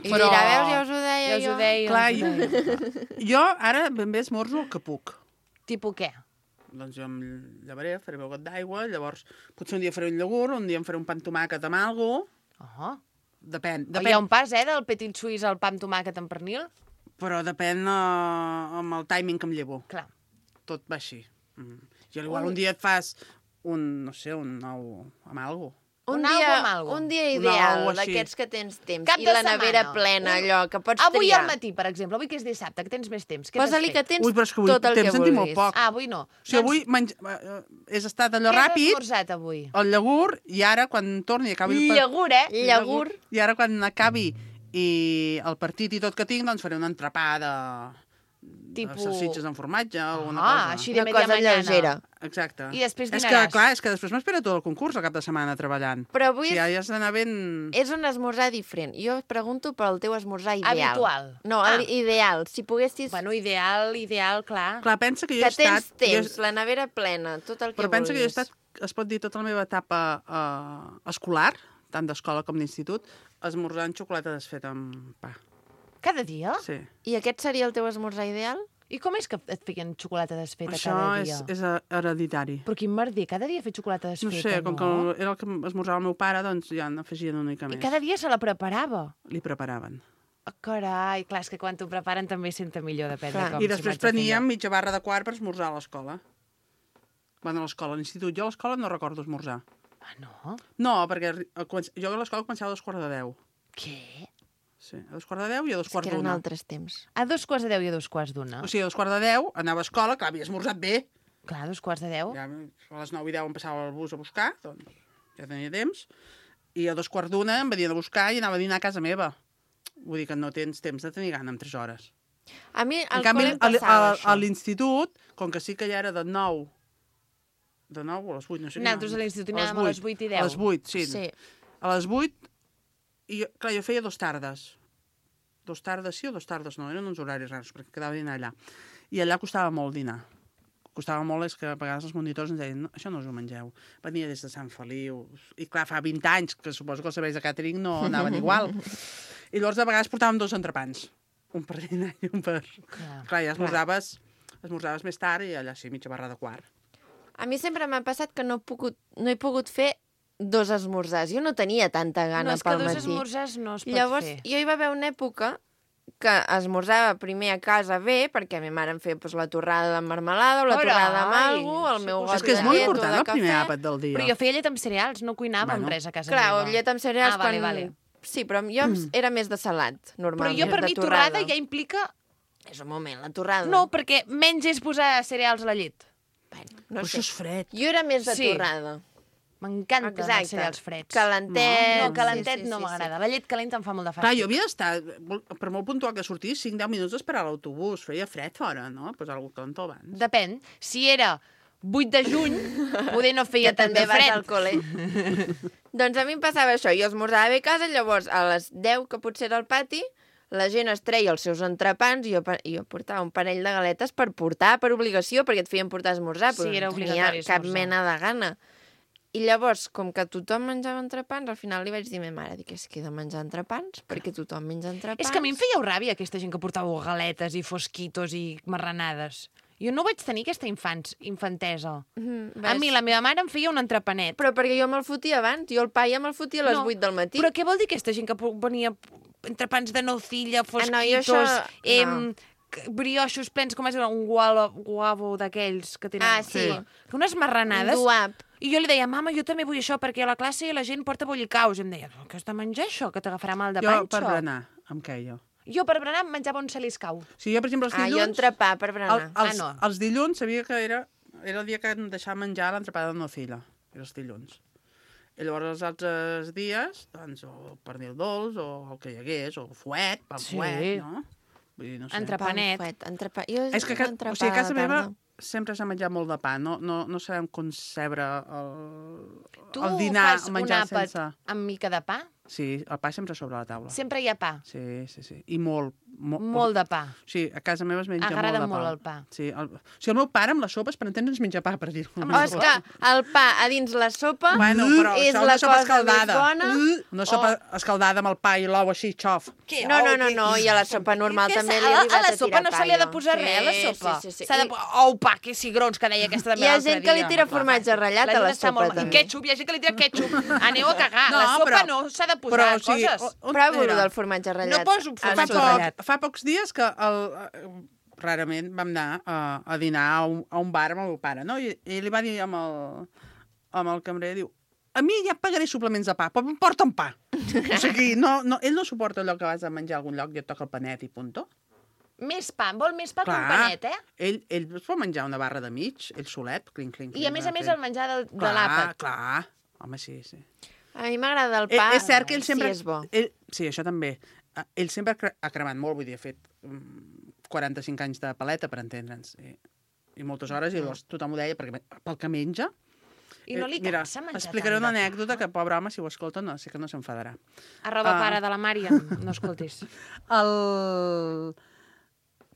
I Però- dirà, veus, ja us ho deia Ja us jo. ho deia. Clar, ja us ho deia. Jo ara ben bé esmorzo el que puc. Tipus què? Doncs jo em llevaré, faré un got d'aigua, llavors potser un dia faré un iogurt, un dia em faré un pa amb tomàquet amb algo. Oh. Depèn, Hi ha depèn, un pas, eh, del petit suís al pa amb tomàquet amb pernil? però depèn uh, amb el timing que em llevo. Clar. Tot va així. Mm. Jo igual un dia et fas un, no sé, un nou amb algo. Un Un algo dia, amb algo. un dia Un ideal, algo així. d'aquests que tens temps. Cap I de la nevera setmana. plena, Un- allò, que pots Avui triar. al matí, per exemple, avui que és dissabte, que tens més temps. Què Posa-li que t'has fet? tens Ui, però és que avui tot el que temps en tinc molt vulguis. poc. Ah, avui no. O sigui, avui menj... eh, és estat allò Què has ràpid, esmorzat avui? el iogurt, i ara quan torni i acabi... el par- Llagurt, eh? Llagurt. I ara quan acabi i el partit i tot que tinc, doncs faré un entrepà de, Tipo- de salsitxes amb formatge o alguna Ah, cosa. així de Una media cosa mañana. lleugera. Exacte. I després És que, dinaràs. clar, és que després m'espera tot el concurs el cap de setmana treballant. Però avui Si és, ja has d'anar ben... és un esmorzar diferent. Jo pregunto pel teu esmorzar ideal. Habitual. No, Ah. el ideal. Si poguessis... Bueno, ideal, ideal, clar. Clar, pensa que jo que he estat... tens temps, jo... la nevera plena, tot el que Però pensa que jo he vulguis. estat, es pot dir, tota la meva etapa eh, escolar, tant d'escola com d'institut, esmorzant xocolata desfeta amb pa. Cada dia? Sí. I aquest seria el teu esmorzar ideal? I com és que et feien xocolata desfeta Això cada és, dia? és hereditari. Però quin merder, cada dia fer xocolata No desfeta, sé, com no? que era el que esmorzava el meu pare, doncs ja n'afegien una mica I més. cada dia se la preparava. Li preparaven. Oh, carai, clar, és que quan t'ho preparen també senta millor, depèn Clar. de com I s'ho després vaig a fer preníem jo. mitja barra de quart per esmorzar a l'escola. Bueno, a l'escola, a l'institut. Jo a l'escola no recordo esmorzar. Ah, no? No, perquè arri- a començ- jo a l'escola començava a dos quarts de deu. Què? Sí, a dos quarts de deu i a dos És quarts que eren d'una. altres temps. A dos quarts de deu i a dos quarts d'una. O sigui, a dos quarts de deu anava a escola, clar, havia esmorzat bé. Clar, a dos quarts de deu. Ja a les nou i deu em passava el bus a buscar, doncs ja tenia temps. I a dos quarts d'una em venien a buscar i anava a dinar a casa meva. Vull dir que no tens temps de tenir gana en tres hores. A mi En al canvi, col·le em a, passava a, això. a l'institut, com que sí que ja era de nou, de nou o a les vuit, no sé. Nosaltres a l'institut anàvem a les vuit i deu. A les vuit, sí. Sí. A les vuit, i, jo- clar, jo feia dos tardes. Dos tardes sí o dos tardes no, eren uns horaris raros, perquè quedava a dinar allà. I allà costava molt dinar. Costava molt, és que a vegades els monitors ens deien no, això no us ho mengeu. Venia des de Sant Feliu. I clar, fa vint anys, que suposo que els serveis de càtering no anaven igual. I llavors de vegades portàvem dos entrepans. Un per dinar i un per... Clar. Clar, ja esmorzaves, esmorzaves més tard i allà sí, mitja barra de quart. A mi sempre m'ha passat que no he pogut, no he pogut fer dos esmorzars. Jo no tenia tanta gana No, és que pel dos matí. esmorzars no es pot Llavors, fer. jo hi va haver una època que esmorzava primer a casa bé, perquè a mi mare em feia doncs, la torrada de marmelada o la Carai, torrada amb alguna el sí, meu pues got És que és de molt llet o important de el primer cafè. àpat del dia. Però jo feia llet amb cereals, no cuinava Bueno. amb res a casa Clar, o meva. llet amb cereals Ah, vale, quan... vale. Sí, però jo mm. era més de salat, Però normalment, jo, per de mi, torrada ja implica... És un moment, la torrada. No, perquè menys és posar cereals a la llet. Bueno, Però no això sé. és fred. Jo era més de Sí. torrada. M'encanten Exacte. els cereals freds. Calentet. No, calentet sí, sí, no sí, m'agrada. La llet calenta em fa molt de Clar, fàstic. jo havia d'estar, per molt puntual que sortís, cinc deu minuts d'esperar a l'autobús. Feia fred fora, no? Posar alguna cosa calentó abans. Depèn. Si era vuit de juny, poder no feia Que tant també de vas fred. al col·le. Doncs a mi em passava això. Jo esmorzava bé a casa, llavors a les deu, que potser era al pati, la gent es treia els seus entrepans i jo, pa- i jo portava un parell de galetes per portar, per obligació, perquè et feien portar a esmorzar, Sí, però era no tenia obligatori cap esmorzar. mena de gana. I llavors, com que tothom menjava entrepans, al final li vaig dir a ma mare, dic, és que he de menjar entrepans, perquè tothom menja entrepans. És que a mi em fèieu ràbia aquesta gent que portava galetes i fosquitos i marranades. Jo no vaig tenir aquesta infants, infantesa. Mhm, A ves? mi la meva mare em feia un entrepanet. Però perquè jo me'l fotia abans, jo el pa ja me'l fotia a les No, vuit del matí. Però què vol dir aquesta gent que po- venia entrepans de nocilla, fosquitos, Ah, no, jo això- em, c- brioixos plens, com és un gualo, guavo d'aquells que tenen... Ah, sí. Que unes marranades. Un duap. I jo li deia, mama, jo també vull això, perquè a la classe la gent porta bollicaus. I em deia, què has de menjar això, que t'agafarà mal de Jo, panxo? per berenar, em queia. Jo per berenar em menjava un celiscau. O sigui, jo, per exemple, els Ah, jo dilluns... entrepà per el, berenar. els, Ah, no. els dilluns sabia que era, era el dia que em deixava menjar l'entrepada de nocilla. Era els dilluns. I llavors els altres dies, doncs, o pernil dolç, o el que hi hagués, o fuet, pa Sí. fuet, no? Vull dir, no sé. Entre- Entrepanet. Pa amb fuet, entrepà. Jo És que, ca- entrepà o sigui, a casa de meva tarda. sempre s'ha menjat molt de pa. No, no, no sabem concebre el, Tu el dinar, fas el un menjar àpat sense... amb mica de pa? Sí, el pa sempre sobre la taula. Sempre hi ha pa. Sí, sí, sí. I molt. Mo, Molt de pa. Sí, a casa meva es menja Agrada molt de pa. molt el pa. Sí, el, o sigui, el meu pare amb les sopes, per entendre'ns, menja pa, per dir-ho. Oh, és que el pa a dins la sopa Bueno, però és això la una sopa cosa escaldada. més bona. Una sopa escaldada amb el pa i l'ou així, xof. No, no, no, no, i a la sopa normal Què també s'ha- li he a, arribat a la a sopa tirar no pa, se li ha de jo. posar Sí, res, a la sopa. Sí, sí, sí. S'ha de... I- Oh, pa, que cigrons, que deia aquesta també Hi ha l'altre gent que li dia. tira formatge ratllat La a la gent està sopa, molt... I també. ketchup, hi ha gent que li tira ketchup. Aneu a cagar. No, la sopa però- no s'ha de però, posar o sigui, coses. o- on Provo era? del formatge ratllat. No poso al Fa, formatge sopar. ratllat. poc, fa pocs dies que el, eh, rarament vam anar a, a dinar a un, a un bar amb el meu pare, no? I, i li va dir amb el, amb el cambrer, diu, a mi ja pagaré suplements de pa, però em porten pa. O sigui, no, no, ell no suporta allò que vas a menjar a algun lloc i et toca el panet i punto. Més pa, vol més pa que un Clar. panet, eh? Ell, ell es pot menjar una barra de mig, ell solet, clinc, clinc, clinc. I a més a més clinc. el menjar del, de Clar, l'àpat. clar. Home, sí, sí. A mi m'agrada el Eh, pa, és cert que ell sempre... si és bo. Ell, sí, això també. Eh, Ell sempre ha cre- ha cremat molt, vull dir, ha fet mm, quaranta-cinc anys de paleta, per entendre'ns. I, i moltes hores, i llavors tothom ho deia, perquè pel que menja... I no li Eh, Mira, cansa menjar explicaré tant una de pa? anècdota que, pobre home, si ho escolta, no, sé que no s'enfadarà. Arroba Ah. pare de la Mària, no escoltis. El...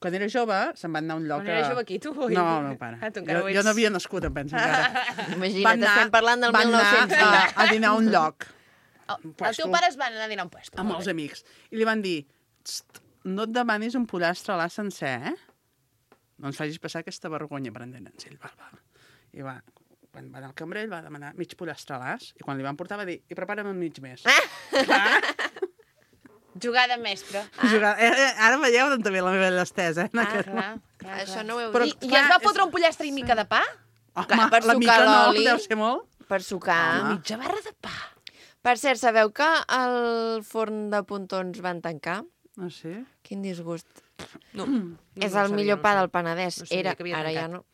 Quan era jove, se'n van anar a un lloc... Quan era a- jove aquí, tu? Oi? No, el meu pare. Ah, tu encara jo, ho jo ets. no havia nascut, em penso, encara. Imagina't, Van anar- estem parlant del van mil nou-cents. anar a, a dinar a un lloc, Oh, el puesto. teu pare es va anar a dinar a un puesto. amb els amics, i li van dir, "Txt, no et demanis un pollastre a la sencer, eh? No ens facis passar aquesta vergonya, per entendre'ns." Ell va, va. I va, quan va anar al cambrer, ell va demanar mig pollastre a l'as, i quan li van portar va dir, i prepara'm un mig més. Clar, Jugada mestre. jugar- eh, eh, ara veieu d'on ve la meva llestesa, eh? en Ah, aquest clar, clar, Això clar. no ho heu Però- I, dit. I clar, es va és- fotre un pollastre i mica de pa? Home, Clar, per la sucar mica no, l'oli. deu ser molt. Per sucar. Home. Mitja barra de pa. Per cert, sabeu que el forn de pontons van tancar? No sé. Quin disgust. No, És no ho el sabia, millor no pa ho del sabia. Penedès. No sabia Era, que havia ara ja tancat. no.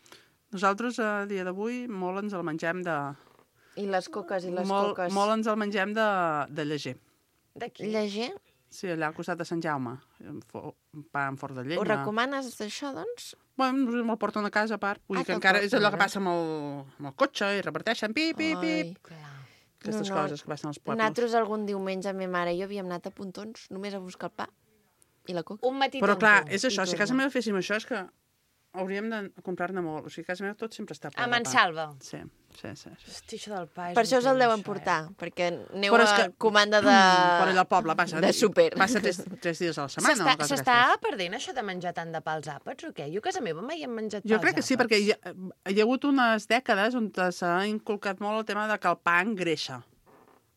Nosaltres, a dia d'avui, molt ens el mengem de... I les coques, i les molt, coques. molt ens el mengem de, de lleger. D'aquí. Lleger? Sí, allà al costat de Sant Jaume. Un, fo, un pa amb forn de llenya. Ho recomanes, això, doncs? Bueno, me'l porten a casa, a part. Vull Ah, dir que te'l encara és allò que porten, eh? passa amb el, amb el cotxe i reparteixen pip, pip, Ai. pip. Clar. Aquestes No, no. coses que passen als pobles. Nosaltres algun diumenge, ma mare i jo havíem anat a Pontons, només a buscar el pa i la coca. Un matí Però clar, tonto. és això, I si a casa torna. meva féssim això, és que hauríem de comprar-ne molt. O sigui, a casa meva tot sempre està ple A de pa. Mansalva. Sí, sí, sí. sí. Hosti, això del pa és Per un això us el tema, deuen això, portar, perquè aneu Però a és que- comanda de... Per allà al poble passa. de súper. Passa tres, tres dies a la Eh? setmana. S'està o coses s'està d'aquestes. perdent això de menjar tant de pa als àpats o què? Jo a casa meva mai hem menjat pa Jo als crec que sí, àpats. perquè hi ha, hi ha hagut unes dècades on s'ha inculcat molt el tema de que el pa engreixa,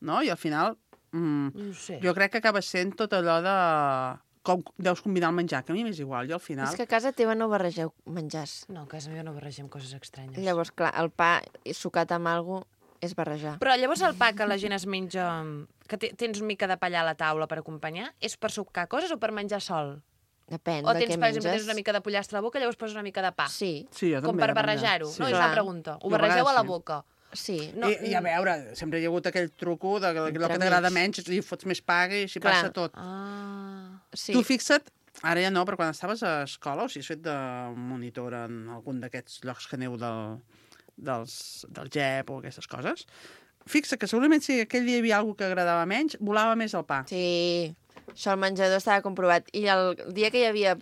no? I al final, mm, No ho sé. jo crec que acaba sent tot allò de com deus combinar el menjar, que a mi m'és igual. Jo al final... És que a casa teva no barregeu menjars. No, a casa meva no barregem coses estranyes. Llavors, clar, el pa sucat amb alguna és barrejar. Però llavors el pa que la gent es menja, que te- tens una mica de pa allà a la taula per acompanyar, és per sucar coses o per menjar sol? Depèn O de tens, què per exemple, menges. tens una mica de pollastre a la boca i llavors poses una mica de pa? Sí, Sí, jo Com també, per de menjar. barrejar-ho? Sí. No, és Clar. la pregunta. Ho Jo a barregeu a vegades la sí. boca? sí. No, I, I a veure, sempre hi ha hagut aquell truco de que el que Entremig. t'agrada menys li fots més paga i així Clar. passa tot. Ah... sí. Tu fixa't, ara ja no, però quan estaves a escola, o si has fet de monitor en algun d'aquests llocs que aneu del, dels, del G E P o aquestes coses, fixa que segurament si aquell dia hi havia alguna que agradava menys, volava més el pa. Sí, això al menjador estava comprovat. I el dia que hi havia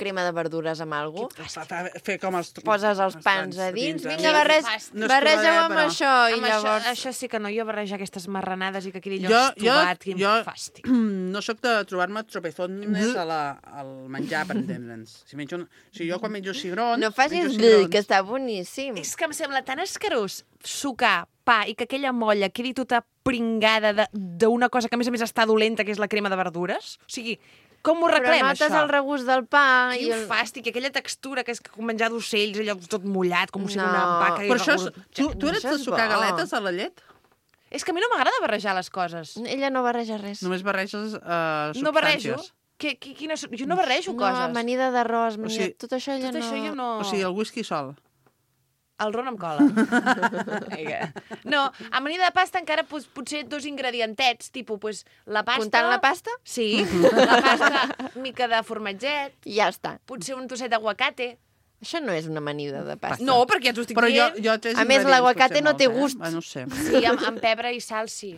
crema de verdures amb alguna cosa, Fa, fa, fer com els... poses els pans a dins, vinga, barrej, No és barregeu trobaré, amb però- això, i Amb llavors... això, això sí que no, jo barrejar aquestes marranades i que quedi allò Jo, jo, estovat, quin jo fàstic. no sóc de trobar-me tropezones a la, al menjar, per entendre'ns. Si menjo un... O sigui, jo quan menjo cigrons... No facis menjo bleh, cigrons. que està boníssim. És que em sembla tan escarós sucar pa i que aquella molla quedi tota pringada de- d'una cosa que a més a més està dolenta, que és la crema de verdures. O sigui, com ho Però arreglem, notes això? el regust del pa i Quin el... fàstic, aquella textura que és com menjar d'ocells, allò tot mullat, com si No. una vaca... i Però això, és, regurg- tu, tu eres Això de és sucar bo. galetes a la llet? És que a mi no m'agrada barrejar les coses. Ella no barreja res. Només barreges uh, No barrejo. substàncies. Que, que, quina, jo no barrejo No, coses. amanida d'arròs, amanida... sigui, tot això ella Tot no... això jo no... O sigui, el whisky sol. El ron amb cola. Vinga. No, amanida de pasta encara pues, potser dos ingredientets, tipus pues, la pasta... Comptant la pasta? Sí, la pasta, mica de formatget, I ja està. potser un trosset d'aguacate. Això no és una amanida de pasta. No, perquè ja t'ho estic Però jo, dient. jo tres A més, ingredients, l'aguacate potser no té molts, gust. Eh? Ah, no ho sé. Sí, amb, amb pebre i sal, sí.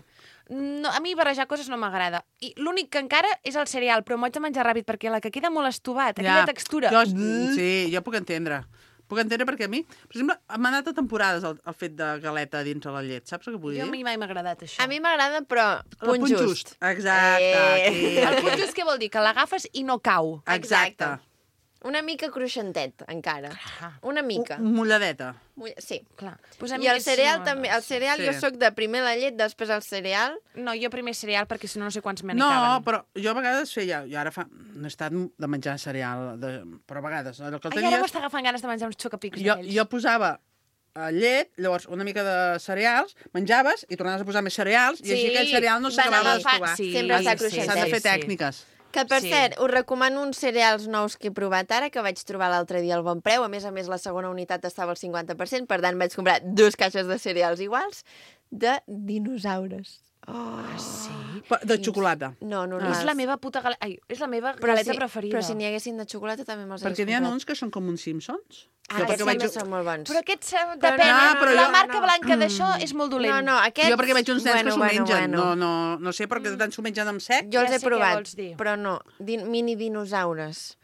No, a mi barrejar coses no m'agrada. I l'únic que encara és el cereal, però m'ho haig de menjar ràpid, perquè la que queda molt estovat, aquella textura... Jo, sí, jo puc entendre. Puc entendre perquè a mi, per exemple, m'ha anat a temporades el, el fet de galeta dins de la llet. Saps el que vull Jo a dir? mi mai m'ha agradat això. A mi m'agrada, però El punt just. Exacte. Eh. Aquí, El aquí. punt just què vol dir? Que l'agafes i no cau. Exacte. Una mica cruixentet, encara. Una mica. Un- Mulladeta. Mull- Sí. Clar. Pues a mi I el és- cereal no, també. no. El cereal Sí. jo sóc de primer la llet, després el cereal. No, jo primer cereal, perquè si no no sé quants me n'hi No, caben. però jo a vegades feia... Jo ara fa... No he estat de menjar cereal, de, però a vegades allò que el Ai, ara tenies... m'està agafant ganes de menjar uns xocapics Jo, d'aquells. jo posava eh, llet, llavors una mica de cereals, menjaves i tornaves a posar més cereals i així Sí, aquell cereal no van s'acabava agafant- d'estovar. sí, Sempre està sí, cruixentet. S'han de fer sí, sí. tècniques. Que, per Sí. cert, us recomano uns cereals nous que he provat ara, que vaig trobar l'altre dia al bon preu. A més a més, la segona unitat estava al cinquanta per cent, per tant, vaig comprar dues caixes de cereals iguals de dinosaures. Oh. Ah, sí? Pa- De xocolata. No, És normals. la meva puta galeta... Ai, és la meva Però galeta si, preferida. Però si n'hi haguessin de xocolata també me'ls Perquè hagués n'hi ha comprat. uns que són com uns Simpsons. Ah, Jo aquests perquè també vaig- són molt bons. Però aquests, eh, Però depèn, no, no, però la jo- marca blanca d'això és molt dolent. No, no, aquests... Jo perquè veig uns nens bueno, que s'ho bueno, mengen. bueno. No, no, no sé, perquè tant s'ho mengen amb sec. Jo els Ja he sé què provat, vols dir. però no. Din mini dinosaures.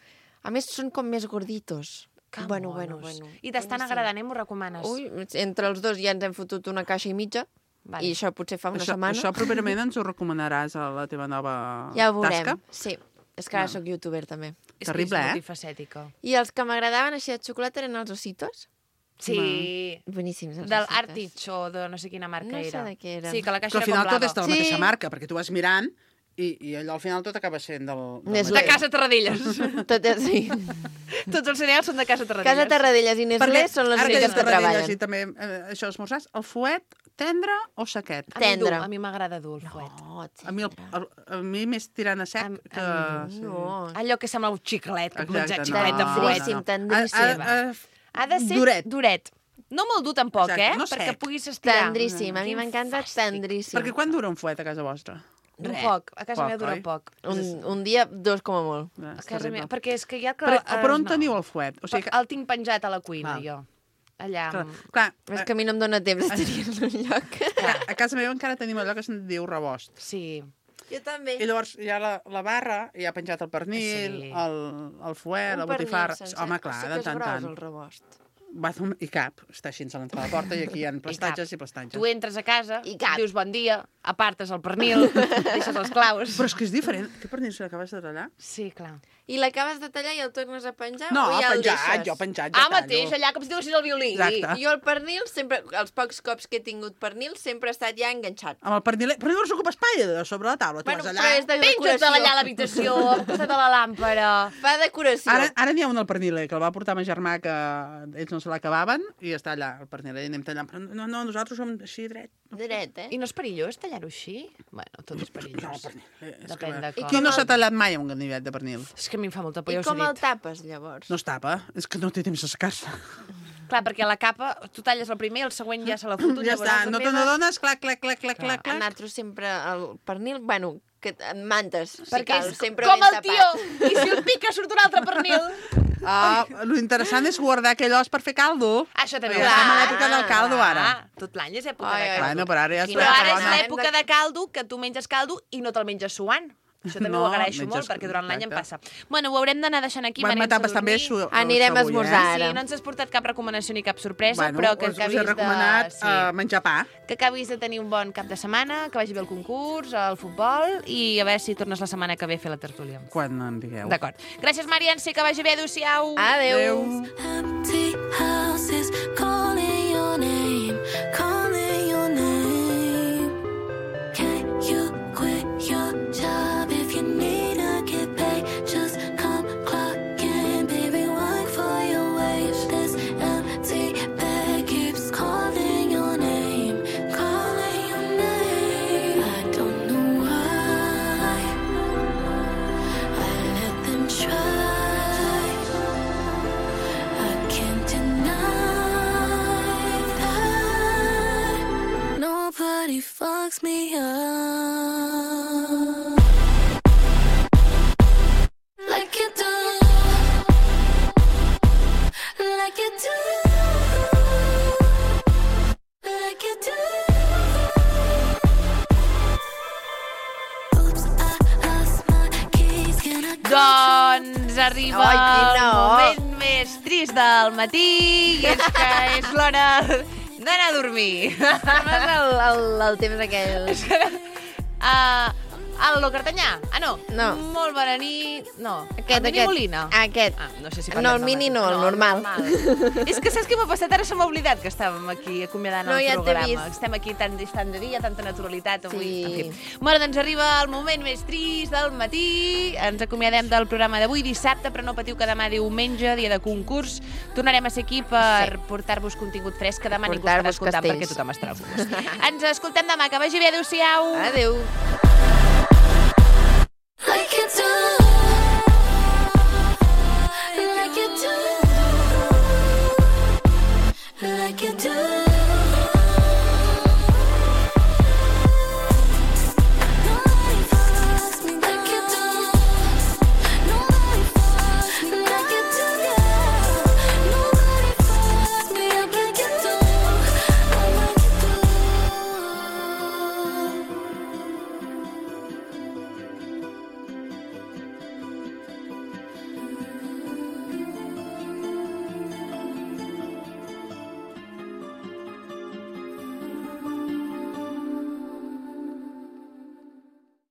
A més, són com més gorditos. Que bueno, monos. bueno, bueno. I t'estan Boníssim. agradant, eh? M'ho recomanes? Ui, entre els dos ja ens hem fotut una caixa i mitja. Vale. I això potser fa una Això, setmana. això properament ens ho recomanaràs a la teva nova Ja ho veurem. tasca. Sí. És que ara No. sóc youtuber, també. És terrible, que és eh? multifacètica. I els que m'agradaven així de xocolata eren els ositos. Sí. Boníssims, els Del ositos. Artich o de no sé quina marca No sé era. de què era. Sí, que la Que caixa al era final com tot és de blava. la Sí. mateixa marca, perquè tu vas mirant i, i allò al final tot acaba sent del... del Nestlé. De Casa Tarradellas. Tot és sí. Tots els cereals són de Casa Tarradellas. Casa Tarradellas i Nestlé són les ara que úniques dius que Tarradellas treballen. i també eh, això esmorzars, el fuet tendre o sequet? A mi dur, Tendre. a mi m'agrada dur el fuet. Oh, A mi, el, el, a mi més tirant a sec Am- que... a sí. No. Allò que sembla un xiclet, que menjar Exacte, xiclet de no, fuet. Tendríssim, tendríssim. A, a, a, Ha de ser duret. duret. No molt dur tampoc, Exacte, eh? no Perquè sec. puguis estirar. Tendríssim. A mi Quin m'encanta fàstic. tendríssim. Perquè quan dura un fuet a casa vostra? Dura Res. poc. A casa Poc, meva dura oi? poc. Un, un dia, dos com a molt. Eh, A és casa terrible. meva. Perquè és que ja... Que, Per, eh, per on no. teniu el fuet? O sigui, que, El tinc penjat a la cuina, Val. jo. Allà. clar, amb- clar, És que a mi no em dóna temps de tenir-lo en un lloc. clar, a casa meva encara tenim allò que se'n diu rebost. Sí. Jo també. I llavors hi ha la, la barra, hi ha penjat el pernil, Sí. el, el fuet, la botifarra... Home, clar, de tant en tant. el rebost. Va, I cap, està així a l'entrada de la porta i aquí hi ha plastatges i, cap. plastatges. Tu entres a casa, I cap. dius bon dia, apartes el pernil, deixes els claus. Però és que és diferent. Què pernil se l'acabes de tallar? Sí, clar. I l'acabes de tallar i el tornes a penjar No, o ja el penjat, deixes? jo penjat, ja Ah, tallo. mateix, allà, com si t'haguessis el violí. Exacte. Jo el pernil, sempre, els pocs cops que he tingut pernil, sempre ha estat ja enganxat. Amb el pernil... Però llavors ocupa espai de sobre la taula. Tu Bueno, vas però allà... és de Penja't decoració. allà a l'habitació, al costat de la làmpara. Fa decoració. Ara, ara n'hi ha un al perniler, que el va portar ma germà, que ells no se l'acabaven, i està allà, el perniler, i anem tallant. Però no, no, nosaltres som així dret. Dret, eh? I no és perillós tallar-ho així? Bueno, tot és No, el perillós. pernil. És Depèn que... de I com. qui no s'ha tallat mai un ganivet de pernil? És que a mi em fa molta por, I ja us com he el dit. tapes, llavors? No es tapa, és que no té temps de secar-se. Clar, perquè la capa, tu talles el primer, el següent ja se la foto. Ja està, no te n'adones, clac, clac, clac, clac, clac, A clac. nosaltres sempre el pernil, bueno, que en mantes, si Perquè cal, és sempre com ben el tio. tapat. I si el pica surt un altre pernil. Ah, lo interessant és guardar aquell os per fer caldo. Això també Ja ho estem a fa. l'època del caldo, ara. Ah, tot l'any és època Ai, de ai, caldo. Bueno, però ara ja Però està ara és bona. l'època de caldo que tu menges caldo i no te'l menges suant. Això també No, ho agraeixo menges- molt, perquè durant l'any em passa. exacte. Bueno, ho haurem d'anar deixant aquí. Bueno, m'anem m'etapes a també dormir. su- Anirem a això avui, esmorzar. eh? Ara. Sí, no ens has portat cap recomanació ni cap sorpresa, Bueno, però que us, us acabis he recomanat de... uh, menjar pa. Que acabis de tenir un bon cap de setmana, que vagi bé el concurs, el futbol, i a veure si tornes la setmana que ve a fer la tertúlia. Quan en digueu. D'acord. Gràcies, Marianse, que vagi bé. Adéu-siau. Adéu. Empty houses calling your name, calling your name. Can you quit your job if you need to get paid? Just come clock in, baby, work for your wage. This empty bed keeps calling your name, calling your name. I don't know why I let them try. I can't deny that nobody fucks me up like you do, like you do, like you do. Oops, I lost my keys. Can I go Doncs arriba Ai, el quina or. moment més trist del matí i és que és l'hora d'anar a dormir. Com és el, el, el temps aquell? Uh, el lo cartanyà? Ah, no. No. Molt bona nit. No. Aquest, el mini aquest. molina? Aquest. Ah, no sé si No, parlem el del mini mateix. no, el normal. És que saps què m'ha passat? Ara se m'ha oblidat que estàvem aquí acomiadant No, el ja t'he programa. vist. Estem aquí tan distant de dia, tanta naturalitat avui. Sí. En fi. Bueno, doncs arriba el moment més trist del matí. Ens acomiadem del programa d'avui dissabte, però no patiu que demà diumenge, dia de concurs. Tornarem a ser aquí per sí. portar-vos contingut fresc, que demà ningú estarà Portar-vos escoltant castells. perquè tothom estarà al concurs. Ens escoltem demà. Que vagi bé. Adéu-siau. Adéu.